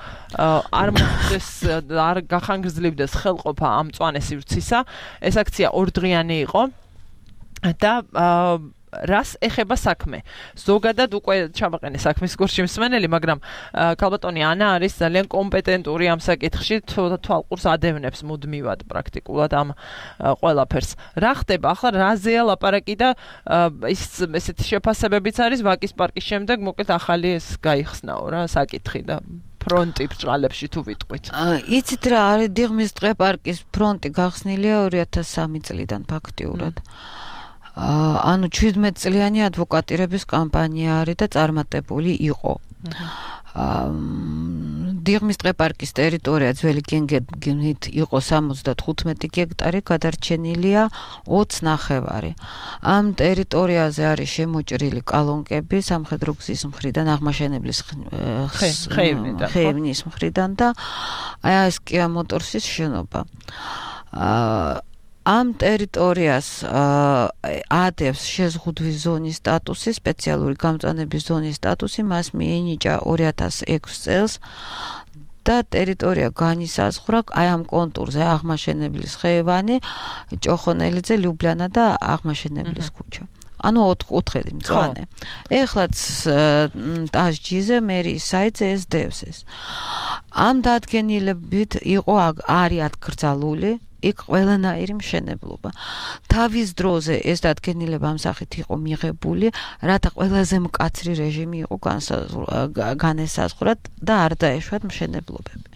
არ მოხდეს არ გახანგრძლივდეს ხელყოფა ამ მწვანე სივრცისა ეს აქცია ორდღიანი იყო და რას ეხება საქმე. ზოგადად უკვე ჩამაყენე საქმის გურში მსმენელი, მაგრამ ქალბატონი ანა არის ძალიან კომპეტენტური ამ საკითხში, თვალყურს ადევნებს მუდმივად პრაქტიკულად ამ ყველაფერს. რა ხდება ახლა რაზეა ლაპარაკი და ესეთი შეფასებებიც არის ვაკის პარკის შემდეგ, მოკლედ ახალი ეს გაიხსნაო რა საკითხი და ფრონტი ბჭყალებში თუ ვიტყვით. იცით რა არის დიღმის ტყეპარკის ფრონტი გახსნილია 2003 წლიდან ფაქტიურად. ანუ 17 წლიანი ადვოკატირების კამპანია არის და წარმატებული იყო. დიღმის ტყეპარკის ტერიტორია ძველი გენგენით იყო 75 გექტარი, გადარჩენილია 20 ნახევარი. ამ ტერიტორიაზე არის შემოჭრილი კალონკები სამხედრო გზის მხრიდან, აღმაშენებლის ხეივნის მხრიდან და ეს კია მოტორსის შენობა. ამ ტერიტორიას ადევს შეზღუდვის ზონის სტატუსი, სპეციალური გამწვანების ზონის სტატუსი, მას მიენიჭა 2006 წელს და ტერიტორია განისაზღვრა აი ამ კონტურზე აღმაშენებლის ხეივანი, ჭოხონელიძე, ლიუბლიანა და აღმაშენებლის ქუჩა. ანუ 4 მწვანე. ეხლაც ტაჟჯიზე მერიის საიტზე ეს დევს ეს. ამ დადგენილებით იყო არის აკრძალული იქ ყველანაირი მშენებლობა. თავის დროზე ეს დადგენილება ამ სახით იყო მიღებული, რათა ყველაზე მკაცრი რეჟიმი იყო განესაზღვრათ და არ დაეშვათ მშენებლობები.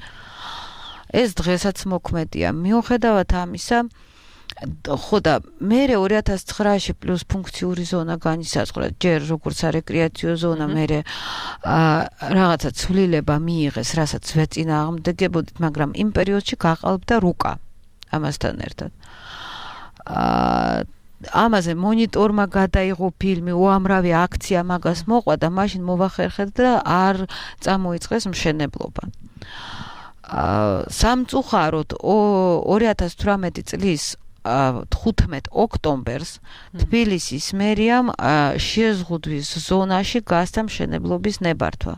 ეს დღესაც მოქმედია. მიუხედავად ამისა, ხო და მე 2009-ში პლუს ფუნქციური ზონა განისაზღვრა, ჯერ როგორც არეკრეაციო ზონა, მე რაღაცა ცვლილება მიიღეს, რასაც ვეწინააღმდეგებოდით, მაგრამ იმ პერიოდში გაყალბდა რუკა ამასთან ერთად. ამაზე მონიტორმა გადაიღო ფილმი, უამრავი აქცია მაგას მოყვა და მაშინ მოვახერხეთ და არ წამოიწყეს მშენებლობა. სამწუხაროდ 2018 წლის 15 ოქტომბერს თბილისის მერიამ შეზღუდვის ზონაში გასცა მშენებლობის ნებართვა.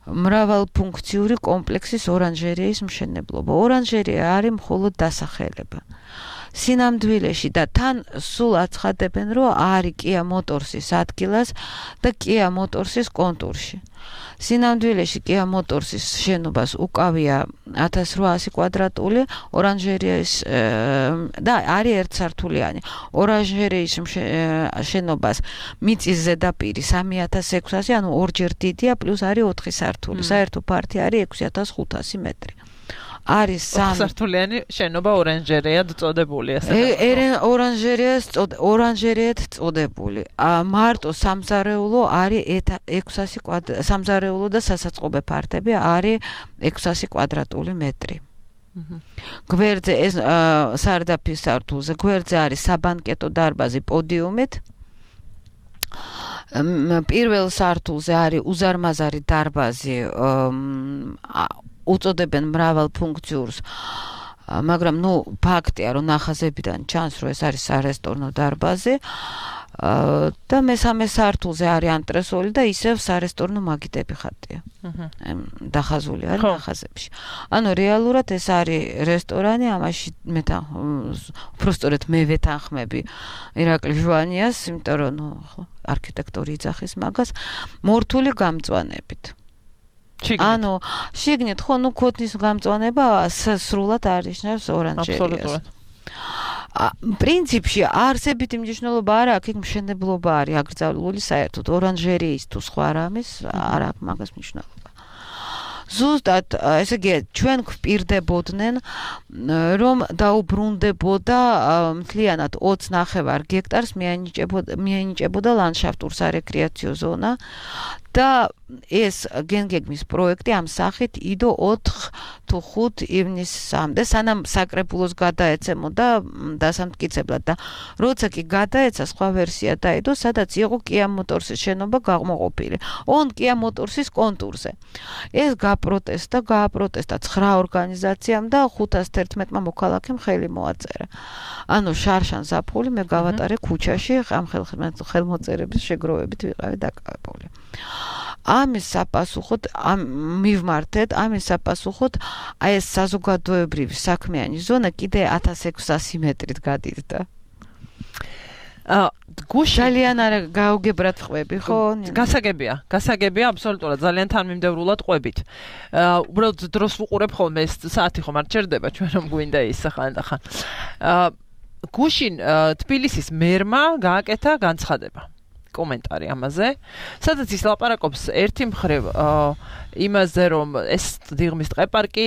მრავალფუნქციური კომპლექსის ორანჟერეის მშენებლობა. ორანჟერეა არის მხოლოდ დასახელება. სინამდვილეში და თან სულ აცხადებენ, რომ არის Kia Motors-ის ადგილას და Kia Motors-ის კონტურში. სინამდვილეში Kia Motors-ის შენობას უკავია 1800 კვადრატული ორანჟერეის და არის ერთსართულიანი. ორანჟერეის შენობას მიწის ზედაპირი 3600, ანუ ორჯერ დიდია, პლუს არის 4 სართული. საერთო ფართი არის 6500 მეტრი. არის სართულიანი შენობა ორანჟერეად წოდებული ასე. ორანჟერეად წოდებული. მარტო სამზარეულო არის 600 სამზარეულო და სასაწყობე ფართები არის 600 კვადრატული მეტრი. გვერდზე ეს სარდაფის სართულზე, გვერდზე არის საბანკეტო დარბაზი პოდიუმით. პირველ სართულზე არის უზარმაზარი დარბაზი, უწოდებენ მრავალფუნქციურს, მაგრამ ფაქტია, რომ ნახაზებიდან ჩანს, რომ ეს არის სარესტორნო დარბაზი და მესამე სართულზე არის ანტრესოლი და ისევ სარესტორნო მაგიდები ხატია. დახაზული არის ნახაზებში. ანუ რეალურად ეს არის რესტორანი, ამაში უბრალოდ მე ვეთანხმები ირაკლი ჟვანიას, იმიტომ რომ არქიტექტორი იძახის მაგას, მორთული გამწვანებით. ანუ შიგნით ხო ქოთნის გამწვანება სრულად არნიშნავს ორანჟერეას. პრინციპში არსებითი მნიშვნელობა არ აქვს, იქ მშენებლობა არის აკრძალული საერთოდ ორანჟერეის თუ სხვა რამის არ აქვს მაგას მნიშვნელობა. ზუსტად ესე იგი ჩვენ გვპირდებოდნენ რომ დაუბრუნდებოდა მთლიანად 29 გექტარს მიანიჭებოდა ლანდშაფტურ სარეკრეაციო ზონა და ეს გენგეგმის პროექტი ამ სახით იდო 4 თუ 5 ივნისამდე სანამ საკრებულოს გადაეცემოდა დასამტკიცებლად და როცა კი გადაეცა სხვა ვერსია დაიდო სადაც იყო Kia Motors-ის შენობა გამოყოფილი Kia Motors-ის კონტურზე ეს გააპროტესტა 9 ორგანიზაციამ და 511-მა მოქალაქემ ხელი მოაწერა ანუ შარშან ზაფხული მე გავატარე ქუჩაში ამ ხელმოწერების შეგროვებით ვიყავი დაკავებული ამის საპასუხოდ მივმართეთ ამის საპასუხოდ აი ეს საზოგადოებრივი საქმიანი ზონა კიდე 1600 მეტრით გადიდდა გუში ძალიან არა გაუგებრად ყვები ხო გასაგებია აბსოლუტურად ძალიან თანმიმდევრულად ყვებით უბრალოდ დროს ვუყურებ ხოლმე ეს საათი ხომ არ ჩერდება ჩვენ რომ გვინდა ის ხან გუშინ თბილისის მერმა გააკეთა განცხადება კომენტარი ამაზე, სადაც ის ლაპარაკობს ერთი მხრივ იმაზე, რომ ეს დიღმის ტყეპარკი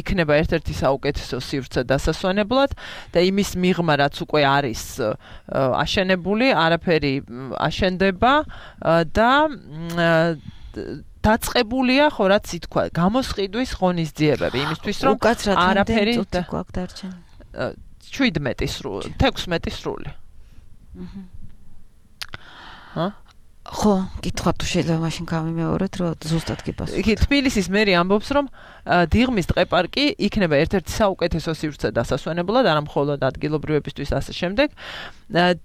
იქნება ერთ-ერთი საუკეთესო სივრცე დასასვენებლად და იმის მიღმა რაც უკვე არის აშენებული, არაფერი აშენდება და დაწყებულია ხო რაც ითქვა, გამოსყიდვის ღონისძიებები იმისთვის რომ არაფერი გვაქვს დარჩენილი. 17 სრული, 16 სრული. ხო, კითხვა თუ შეიძლება მაშინ გამიმეოროთ, რომ ზუსტად გიპასუხოთ. კი, თბილისის მერი ამბობს, რომ დიღმის ტყეპარკი იქნება ერთ-ერთი საუკეთესო სივრცე დასასვენებლად, არა მხოლოდ ადგილობრივებისთვის ასე შემდეგ.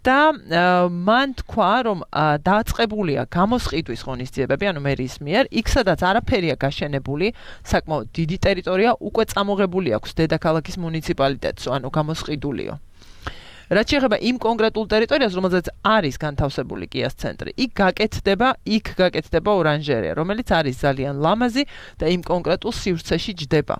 და მან თქვა, რომ დაწყებულია გამოსყიდვის ღონისძიებები, ანუ მერის მიერ, იქ სადაც არაფერია გაშენებული, საკმაოდ დიდი ტერიტორია უკვე წამოღებული აქვს დედაქალაქის მუნიციპალიტეტს, ანუ გამოსყიდულიო. რაც შეეხება იმ კონკრეტულ ტერიტორიას, რომელზეც არის განთავსებული კიას ცენტრი, იქ გაკეთდება ორანჟერეა, რომელიც არის ძალიან ლამაზი და იმ კონკრეტულ სივრცეში ჯდება.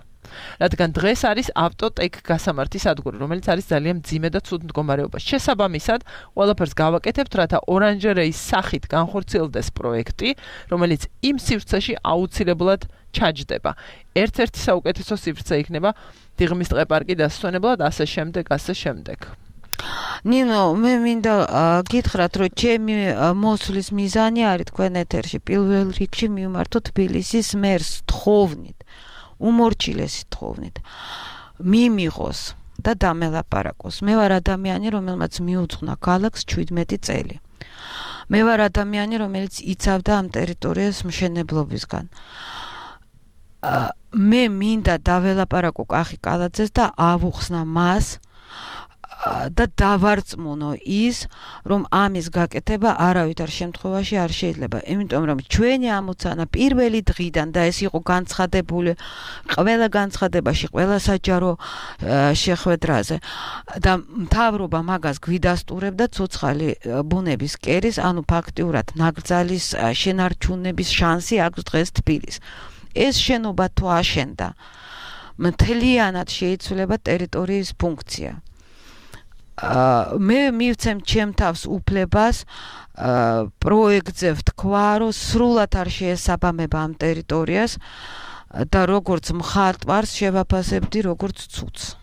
რადგან დღეს არის ავტოტეკ გასამართი სადგური, რომელიც არის ძალიან მძიმე და ცუდ მდგომარეობაში. შესაბამისად, ყველაფერს გავაკეთებთ, რათა ორანჟერეის სახით განხორციელდეს პროექტი, რომელიც იმ სივრცეში აუცილებლად ჩაჯდება. ერთ-ერთი საუკეთესო სივრცე იქნება დიღმის ტყეპარკი დასვენებლად, ასე შემდეგ. ნინო, მე მინდა გითხრათ, რომ ჩემი მოსვლის მიზანი არის თქვენ ეთერში პირველ რიგში მივმართო თბილისის მერს თხოვნით. უმორჩილესი თხოვნით მიმიღოს და დამელაპარაკოს. მე ვარ ადამიანი, რომელმაც მიუძღვნა ქალაქს 17 წელი. მე ვარ ადამიანი, რომელიც იცავდა ამ ტერიტორიას მშენებლობისგან. მე მინდა დაველაპარაკო კახი კალაძეს და ავუხსნა მას და დავარწმუნო ის, რომ ამის გაკეთება არავითარ შემთხვევაში არ შეიძლება. იმიტომ რომ ჩვენი ამოცანა პირველი დღიდან და ეს იყო განცხადებული ყველა განცხადებაში, ყველა საჯარო შეხვედრაზე და მთავრობა მაგას გვიდასტურებდა ცოცხალი ბუნების კერის, ანუ ფაქტიურად ნაკრძალის შენარჩუნების შანსი აქვს დღეს თბილისს. ეს შენობა თუ აშენდა, მთლიანად შეიცვლება ტერიტორიის ფუნქცია. მე მივცემ ჩემ თავს უფლებას პროექტზე ვთქვა, რომ სრულად არ შეესაბამება ამ ტერიტორიას და როგორც მხატვარს შევაფასებდი როგორც ცუდს.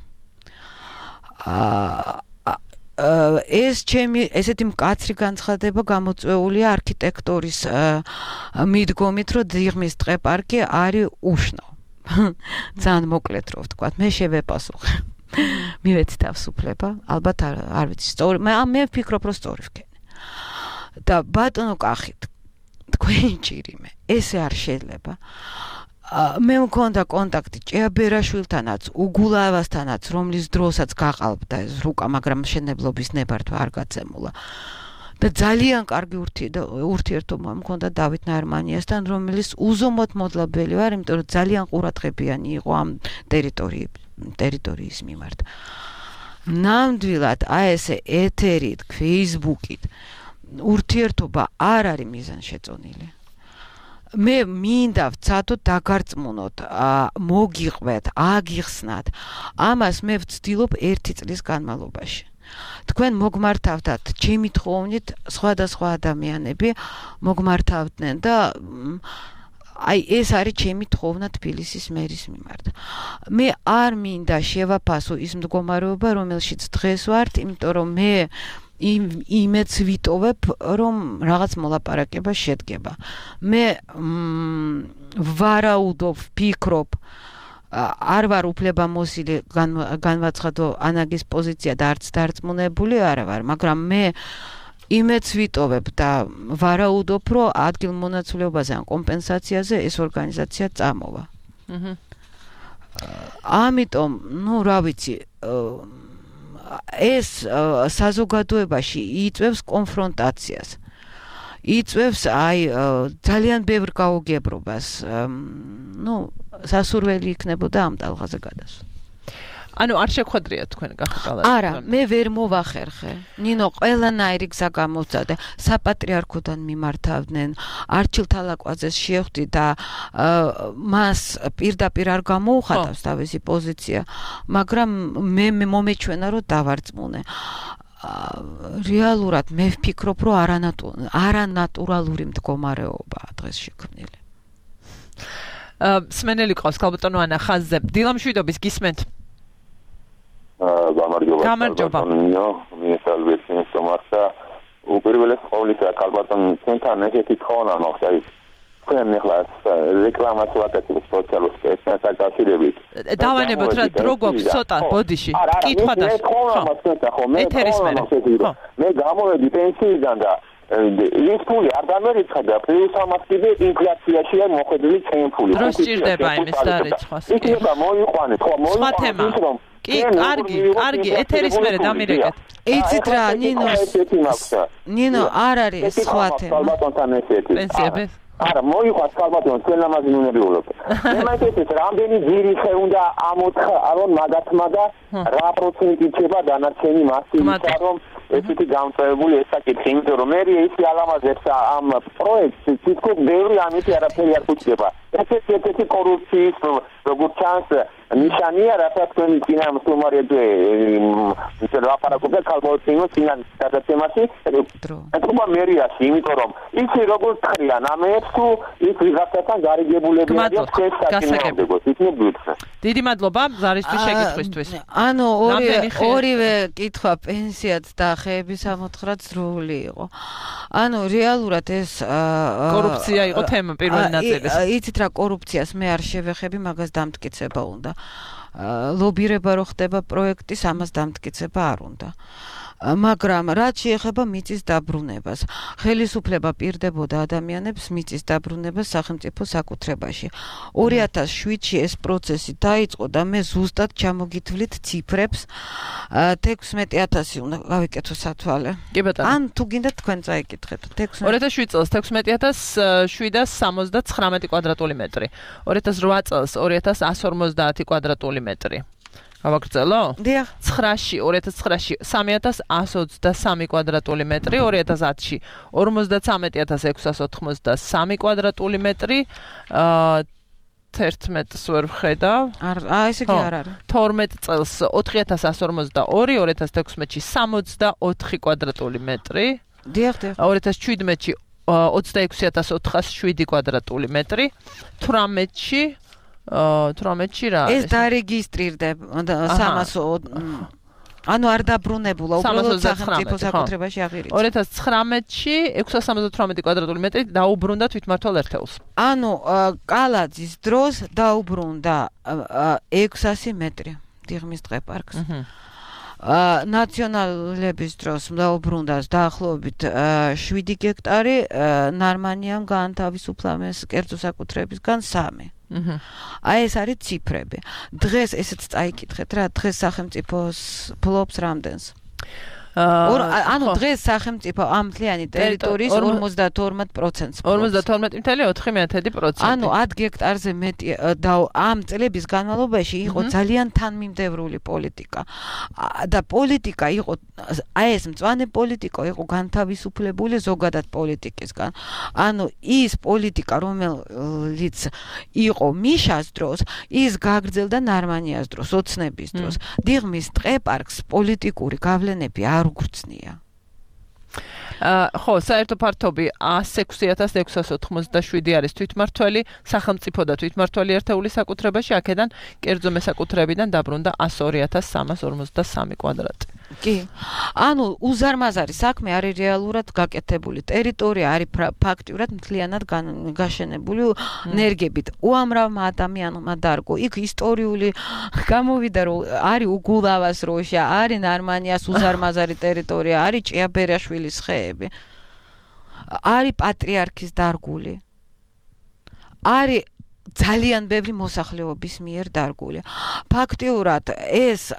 ეს ჩემი ესეთი მკაცრი განცხადება გამოწვეულია არქიტექტორის მიდგომით, რომ დიღმის ტყეპარკი არის უშნო. ძალიან მოკლედ რო ვთქვა, მე შევეპასუხე. მივეცი თავისუფლება, ალბათ არ ვიცი სწორი, მე ვფიქრობ, რომ სწორი ვქენი. და ბატონო კახით, თქვენი ჭირიმე, ესე არ შეიძლება. მე მქონდა კონტაქტი ჭეაბერაშვილთანაც, უგულავასთანაც, რომლის დროსაც გაყალბდა ეს რუკა, მაგრამ მშენებლობის ნებართვა არ გაცემულა. და ძალიან კარგი ურთიერთობა მქონდა დავით ნარმანიასთან, რომელიც უზომოდ მოდლებელი ვარ, იმიტომ რომ ძალიან ყურადღებიანი იყო ამ ტერიტორიის მიმართ. ნამდვილად აი ესე ეთერით, Facebook-ით ურთიერთობა არ არის მიზანშეწონილი. მე მინდა ვცადოთ დაგარწმუნოთ, მოგიყვეთ, აგიხსნათ. ამას მე ვცდილობ 1 წლის განმავლობაში. თქვენ მოგმართავდათ ჩემი თხოვნით სხვადასხვა ადამიანები მოგმართავდნენ და აი ეს არის ჩემი თხოვნა თბილისის მერის მიმართ. მე არ მინდა შევაფასო ის მდგომარეობა, რომელშიც დღეს ვართ, იმიტომ რომ მე იმეც ვიტოვებ, რომ რაღაც მოლაპარაკება შედგება. მე ვარაუდობ, ვფიქრობ, არ ვარ უფლებამოსილი განვაცხადო ანაგის პოზიცია და არც დარწმუნებული არ ვარ, მაგრამ მე იმეც ვიტოვებ და ვარაუდობ, რომ ადგილმონაცვლეობაზე ან კომპენსაციაზე ეს ორგანიზაცია წამოვა. ამიტომ, რა ვიცი, ეს საზოგადოებაში იწვევს კონფრონტაციას. იწვევს ძალიან ბევრ გაუგებრობას. სასურველი იქნებოდა ამ ტალღაზე გადასვლა. ანუ არ შეხვედრიათ თქვენ გახკალად? არა, მე ვერ მოვახერხე. ნინო ყველანაირი გზა გამოვწადე. საპატრიარქოდან მიმართავდნენ, არჩილ თალაკვაძეს შევხვდი და მას პირდაპირ არ გამოუხატავს თავისი პოზიცია, მაგრამ მე მომეჩვენა, რომ დავარწმუნე. რეალურად მე ვფიქრობ, რომ არანატურალური მდგომარეობაა დღეს შექმნილი. სმენელი ყავს ქალბატონო ანა ხაზზე. დილამშვიდობის გისმენთ. გამარჯობა. მინესალვეცი მოსმართა. უპირველეს ყოვლისა ქალბატონ ცენტრთან ესეთი თხოვნა მოხდა ის. თქვენ ახლა რეკლამას ვაკეთებთ სოციალურ სპეცს აკავშირებით. დავანებოთ რა დრო გვაქვს ცოტა ბოდიში. კითხვა და მე გამოვედი პენსიიდან და ის ფული არ დამერიცხა და პლუს ამას კიდე ინფლაციაში არ მოხდილი ჩემი ფული. დრო სჭირდება იმის დარეცხვას. იქნება მოიყვანეთ, ხო მოიყვანეთ. კი, კარგი, ეთერის მერე დამირეკეთ. იცით რა, ნინო, არ არის სხვა თემა. პენსიები? არა, მოიყვანს ქალბატონო, თქვენ ამაზე უნებლიულობთ. მე მაინტერესებს, რამდენი ძირი უნდა ამოთხარონ მაგათმა და რა პროცენტი რჩება დანარჩენი მასისა, რომ ესეთი გამწევებული ესაკითხი, იმიტომ რომ მე ისი ალამაზებს ამ პროექტს, თითქოს ბევრი ამით არაფერი არ გუჩდება. ესეთი კორუფციის როგორც ჩანს ნიშანია, რასაც თქვენ წინა მსუმარებზე ლაპარაკობთ ქალბატონო წინა გადაცემაში, ეთქობა მერიაში, იმიტომ რომ ისი როგორც ხრიან ამებს თუ ის ვიღაცასთან გარიგებულები არიან შესაძლებლად. დიდი მადლობა ზარისთვის შეკითხვისთვის. ანუ ორივე კითხვა პენსიაც და ხეების ამოთხრაც დროული იყო. ანუ რეალურად ეს კორუფცია იყო თემა პირველი ნაწილის. იცით რა კორუფციას მე არ შევეხები, მაგას დამტკიცება უნდა. ლობირება რო ხდება პროექტის, ამას დამტკიცება არ უნდა. მაგრამ რაც შეეხება მიწის დაბრუნებას, ხელისუფლება პირდებოდა ადამიანებს მიწის დაბრუნებას სახელმწიფო საკუთრებაში. 2007-ში ეს პროცესი დაიწყო და მე ზუსტად ჩამოგითვლით ციფრებს 16,000 უნდა გავიკეთო სათვალე. ან თუ გინდა თქვენ წაიკითხეთ. 2007 წელს 16,779 კვადრატული მეტრი. 2008 წელს 2,150 კვადრატული მეტრი. გავაგრძელო? დიახ. 9-ში 2009-ში 3,123 კვადრატული მეტრი, 2010-ში 53,683 კვადრატული მეტრი, 11-ს ვერ ვხედავ. ესე კი არ არის. 12 წელს 4,152, 2016-ში 64 კვადრატული მეტრი. დიახ. 2017-ში 26,407 კვადრატული მეტრი, 18-ში 18-ში რა ეს დარეგისტრირდება 300 ანუ არ დაბრუნებულა უბრალოდ სახელმწიფო საკუთრებაში აღირიცხა 2019-ში 678 კვადრატული მეტრი დაუბრუნდა თვითმმართველ ერთეულს ანუ კალაძის დროს დაუბრუნდა 600 მეტრი დიღმის ტყეპარკს ნაციონალების დროს დაუბრუნდა დაახლოებით 7 გექტარი ნარმანიამ გაანთავისუფლეს კერძო საკუთრებისგან 3 აი ეს არის ციფრები. დღეს ესეც წაიკითხეთ რა, დღეს სახელმწიფოს ფლობს რამდენს? ანუ დღეს სახელმწიფო ამ მთლიანი ტერიტორიის 52%-ს. 52.4%. ანუ 10 გექტარზე მეტი და ამ წლების განმავლობაში იყო ძალიან თანმიმდევრული პოლიტიკა. და პოლიტიკა იყო აი ეს მწვანე პოლიტიკა იყო განთავისუფლებული ზოგადად პოლიტიკისგან. ანუ ის პოლიტიკა რომელიც იყო მიშას დროს, ის გაგრძელდა ნარმანიას დროს, ოცნების დროს. დიღმის ტყეპარკს პოლიტიკური გავლენები არ უგრძნია. ხო, საერთო ფართობი 106,687 არის თვითმმართველი, სახელმწიფო და თვითმმართველი ერთეული საკუთრებაში, აქედან კერძო მესაკუთრებიდან დაბრუნდა 102,353 კვადრატი. კი. ანუ უზარმაზარი საქმე არის რეალურად გაკეთებული. ტერიტორია არის ფაქტიურად მთლიანად გაშენებული ნერგებით. უამრავმა ადამიანმა დარგო. იქ ისტორიული გამოვიდა რომ არის უგულავას როშა, არის ნარმანიას უზარმაზარი ტერიტორია, არის ჭიაბერაშვილის ხეები. არის პატრიარქის დარგული. არის ძალიან ბევრი მოსახლეობის მიერ დარგული. ფაქტიურად ეს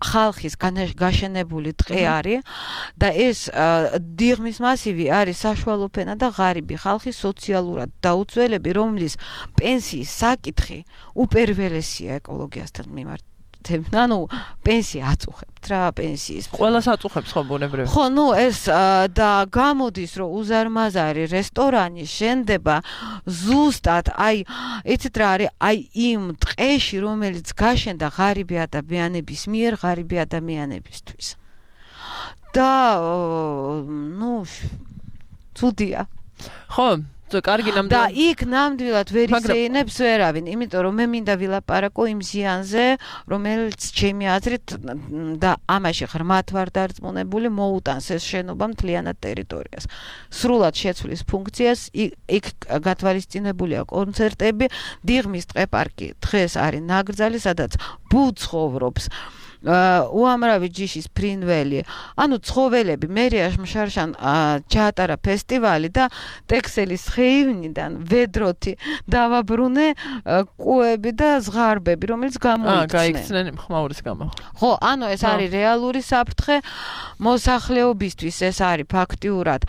ხალხის გაშენებული ტყე არის და ეს დიღმის მასივი არის საშუალო ფენა და ღარიბი ხალხის სოციალურად დაუცველები, რომლის პენსიის საკითხი უპირველესია ეკოლოგიასთან მიმართ. ანუ პენსია აწუხებთ რა პენსიის ყველას აწუხებს ხო ბუნებრივი ხო ნუ ეს და გამოდის რომ უზარმაზარი რესტორანი შენდება ზუსტად აი იცით რა არის აი იმ ტყეში რომელიც გაშენდა ღარიბი ადამიანების მიერ ღარიბი ადამიანებისთვის და ნუ ცუდია ხო კარგი ნამდვილად და იქ ნამდვილად ვერ ისეინებს ვერავინ, იმიტომ რომ მე მინდა ვილაპარაკო იმ ზიანზე, რომელიც ჩემი აზრით და ამაში ღრმად ვარ დარწმუნებული, მოუტანს ეს შენობა მთლიანად ტერიტორიას. სრულად შეცვლის ფუნქციას, იქ გათვალისწინებულია კონცერტები, დიღმის ტყეპარკი დღეს არის ნაკრძალი, სადაც ბუ ცხოვრობს უამრავი ჯიშის ფრინველი. ანუ ცხოველები მერია შარშან ჩაატარა ფესტივალი და ტექსელის ხეივნიდან ვედროთი დავაბრუნე კუები და ზღარბები, რომელიც გამოიწნენ. გაიქცნენ ხმაურის გამო. ხო, ანუ ეს არის რეალური საფრთხე მოსახლეობისთვის, ეს არის ფაქტიურად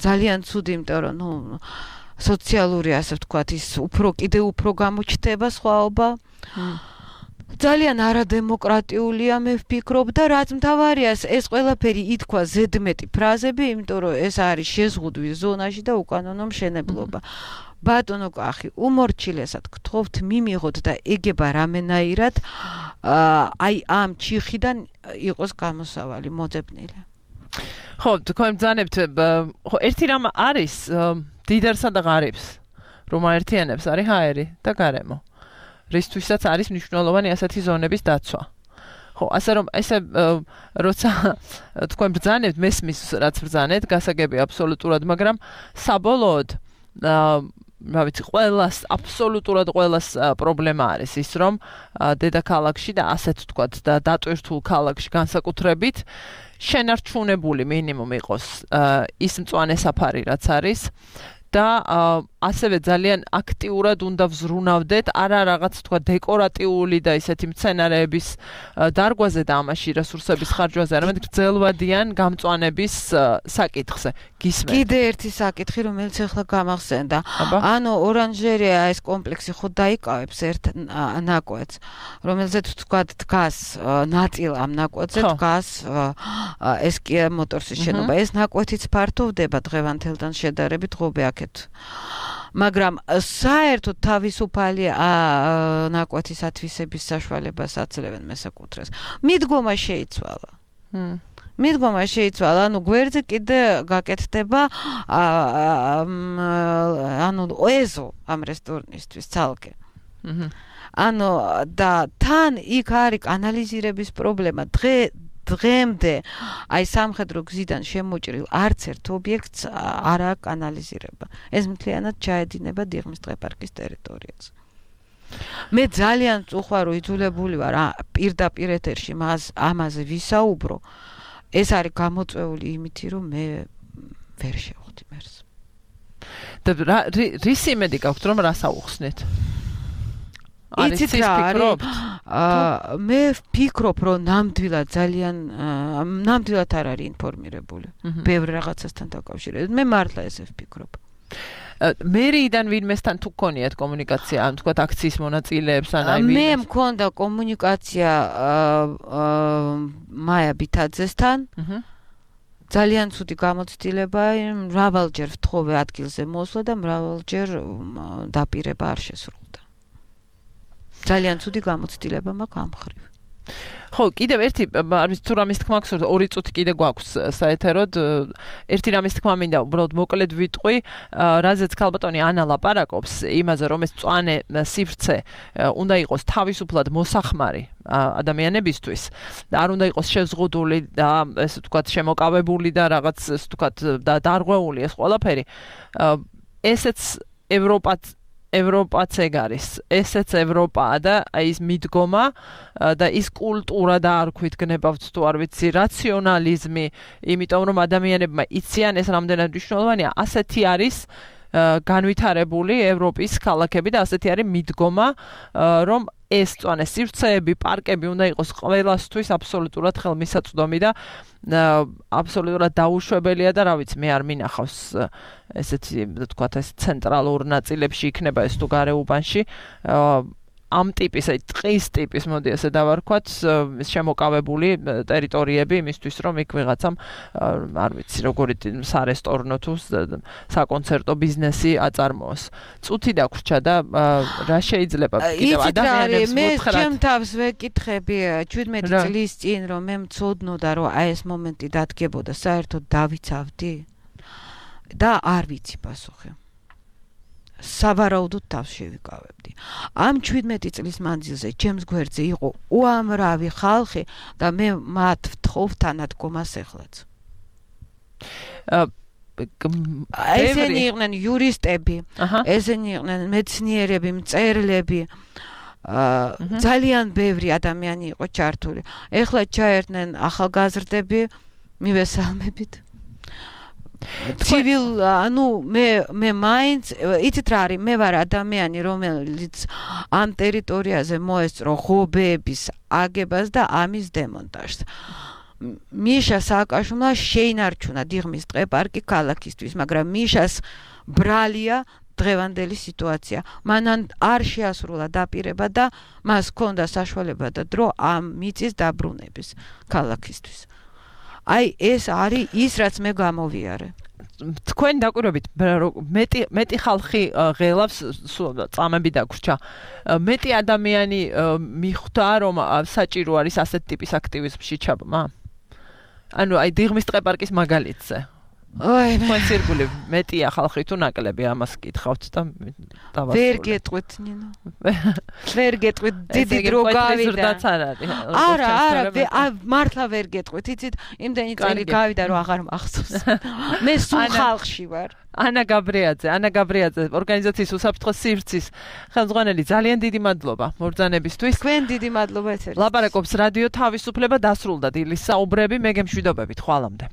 ძალიან ცუდი, იმიტომ რომ სოციალური, ასე ვთქვათ, ის კიდევ უფრო გამოჩნდება სხვაობა. ძალიან არადემოკრატიულია, მე ვფიქრობ და რაც მთავარია, ეს ყველაფერი ითქვა ზედმეტი ფრაზები, იმიტომ რომ ეს არის შეზღუდვის ზონაში და უკანონო მშენებლობა. ბატონო კახი, უმორჩილესად გთხოვთ მიმიღოთ და ეგება რამენაირად აი ამ ჩიხიდან იყოს გამოსავალი მოძებნილი. ხო, თქვენ ბრძანებთ, ხო, ერთი რამ არის დიდერსა და ღარიბს, რომ აერთიანებს არის ჰაერი და გარემო. რისთვისაც არის მნიშვნელოვანი ასეთი ზონების დაცვა. ხო, ასე რომ ესე როცა თქვენ ბრძანებთ, მესმის რაც ბრძანეთ, გასაგები აბსოლუტურად, მაგრამ საბოლოოდ რა ვიცი, ყველას აბსოლუტურად ყველას პრობლემა არის ის, რომ დედაქალაქში და ასეთ ვთქვათ და დატვირთულ ქალაქში განსაკუთრებით შენარჩუნებული მინიმუმ იყოს ის მწვანე საფარი, რაც არის და ასევე ძალიან აქტიურად უნდა ვზრუნავდეთ არა რაღაც თქვა დეკორატიული და ისეთი მცენარეების დარგვაზე და ამაში რესურსების ხარჯვაზე, არამედ გრძელვადიან გამწვანების საკითხზე. გისმენთ. კიდე ერთი საკითხი, რომელიც ახლა გამახსენდა. ანუ ორანჟერეა ეს კომპლექსი ხო დაიკავებს ერთ ნაკვეთს, რომელზეც თქვა დგას ნაწილ ამ ნაკვეთზე დგას ეს კი მოტორსის შენობა. ეს ნაკვეთიც ფართოვდება დღევანდელთან შედარებით ღობეაქეთ. მაგრამ საერთოდ თავისუფალი ნაკვეთის ათვისების საშუალებას აძლევენ მესაკუთრეს. მიდგომა შეიცვალა. მიდგომა შეიცვალა, ანუ გვერდზე კიდე გაკეთდება ანუ ეზო ამ რესტორნისთვის ცალკე. ანუ და თან იქ არის კანალიზირების პრობლემა. დღემდე აი სამხედრო გზიდან შემოჭრილ არც ერთ ობიექტს არ აქვს კანალიზირება. ეს მთლიანად ჩაედინება დიღმის დღეპარკის ტერიტორიაზე. მე ძალიან წუხვალ იძულებული ვარ პირდაპირ ეთერში ამაზე ვისაუბრო. ეს არის გამოწვეული იმითი, რომ მე ვერ შევხვდი მერს. და რის იმედი გაქვთ, რომ რას აუხსნით? იცით რა არის? მე ვფიქრობ, რომ ნამდვილად არ არის ინფორმირებული. ბევრ რაღაცასთან დაკავშირებით. მე მართლა ესე ვფიქრობ. მერიიდან ვინმესთან თუ გქონიათ კომუნიკაცია, ან თქვა აქციის მონაწილეებს ან აი მე მქონდა კომუნიკაცია მაია ბითაძესთან. ძალიან ცუდი გამოცდილება, მრავალჯერ ვთხოვე ადგილზე მოსვლა და მრავალჯერ დაპირება არ შესრულდა. ძალიან ცუდი გამოცდილება მაქვს ამ ხრივ. ხო, კიდევ ერთი არის თუ რამის თქმა გსურთ, 2 წუთი კიდე გვაქვს საეთეროდ. ერთი რამის თქმა მინდა, უბრალოდ მოკლედ ვიტყვი, რაზეც ქალბატონი ანა ლაპარაკობს, იმაზე, რომ ეს მწვანე სივრცე უნდა იყოს თავისუფლად მოსახმარი ადამიანებისთვის და არ უნდა იყოს შეზღუდული და ესე ვთქვათ შემოკავებული და რაღაც ესე ვთქვათ დარღვეული ეს ყველაფერი. ესეც ევროპაც ეგ არის. ესეც ევროპაა და ის მიდგომა და ის კულტურა და არ ქვიტგნებავთ თუ არ ვიცი რაციონალიზმი, იმიტომ რომ ადამიანებმა იციან ეს რამდენად მნიშვნელოვანია. ასეთი არის განვითარებული ევროპის ქალაქები და ასეთი არის მიდგომა, რომ ეს მწვანე სივრცეები, პარკები უნდა იყოს ყველასთვის აბსოლუტურად ხელმისაწვდომი და აბსოლუტურად დაუშვებელია და რა ვიცი, მე არ მინახავს ესეთი თქვათ ეს ცენტრალურ ნაწილებში იქნება ეს თუ გარეუბანში ამ ტიპის, აი ტყის ტიპის, მოდი ასე დავარქვათ, შემოკავებული ტერიტორიები იმისთვის, რომ იქ ვიღაცამ არ ვიცი, როგორი სარესტორნო თუ საკონცერტო ბიზნესი აწარმოოს. წუთი დაგვრჩა და რა შეიძლება კიდევ ადამიანებს მოთხრათ. მე ჩემ თავს ვეკითხები 17 წლის წინ, რომ მე მწოდნოდა, რომ აი ეს მომენტი დადგებოდა, საერთოდ დავიცავდი და არ ვიცი პასუხი. სავარაუდოდ თავს შევიკავებდი. ამ 17 წლის მანძილზე ჩემს გვერდზე იყო უამრავი ხალხი და მე მათ ვთხოვ თანადგომას ეხლაც. ესენი იყვნენ იურისტები, ესენი იყვნენ მეცნიერები, მწერლები ძალიან ბევრი ადამიანი იყო ჩართული. ეხლა ჩაერთნენ ახალგაზრდები, მივესალმებით. ცივილ, მე მაინც იცით რა არის, მე ვარ ადამიანი, რომელიც ამ ტერიტორიაზე მოესწრო ღობეების აგებას და ამის დემონტაჟს. მიშა სააკაშვილმა შეინარჩუნა დიღმის ტყეპარკი ქალაქისთვის, მაგრამ მიშას ბრალია დღევანდელი სიტუაცია. მან არ შეასრულა დაპირება და მას ჰქონდა საშუალება და დრო ამ მიწის დაბრუნების ქალაქისთვის. აი ეს არის ის, რაც მე გამოვიარე. თქვენ დაკვირვებით მეტი ხალხი ღელავს, წამები დაგვრჩა. მეტი ადამიანი მიხვდა, რომ საჭირო არის ასეთ ტიპის აქტივიზმში ჩაბმა. ანუ აი დიღმის ტყეპარკის მაგალითზე. აი, თქვენ სირგული მეტია ხალხი თუ ნაკლები ამას კითხავთ და დავასრულე. ვერ გეტყვით, ნინო. ვერ გეტყვით, დიდი დრო გავიდა. არა, მართლა ვერ გეტყვით. იცით, იმდენი წელი გავიდა, რომ აღარ მახსოვს. მე სულ ხალხში ვარ. ანა გაბრიაძე, ორგანიზაციის უსაფრთხო სივრცის ხელმძღვანელი, ძალიან დიდი მადლობა მობრძანებისთვის. თქვენ დიდი მადლობა ეთერით. ლაპარაკობს რადიო თავისუფლება, დასრულდა დილის საუბრები, მე გემშვიდობებით, ხვალამდე.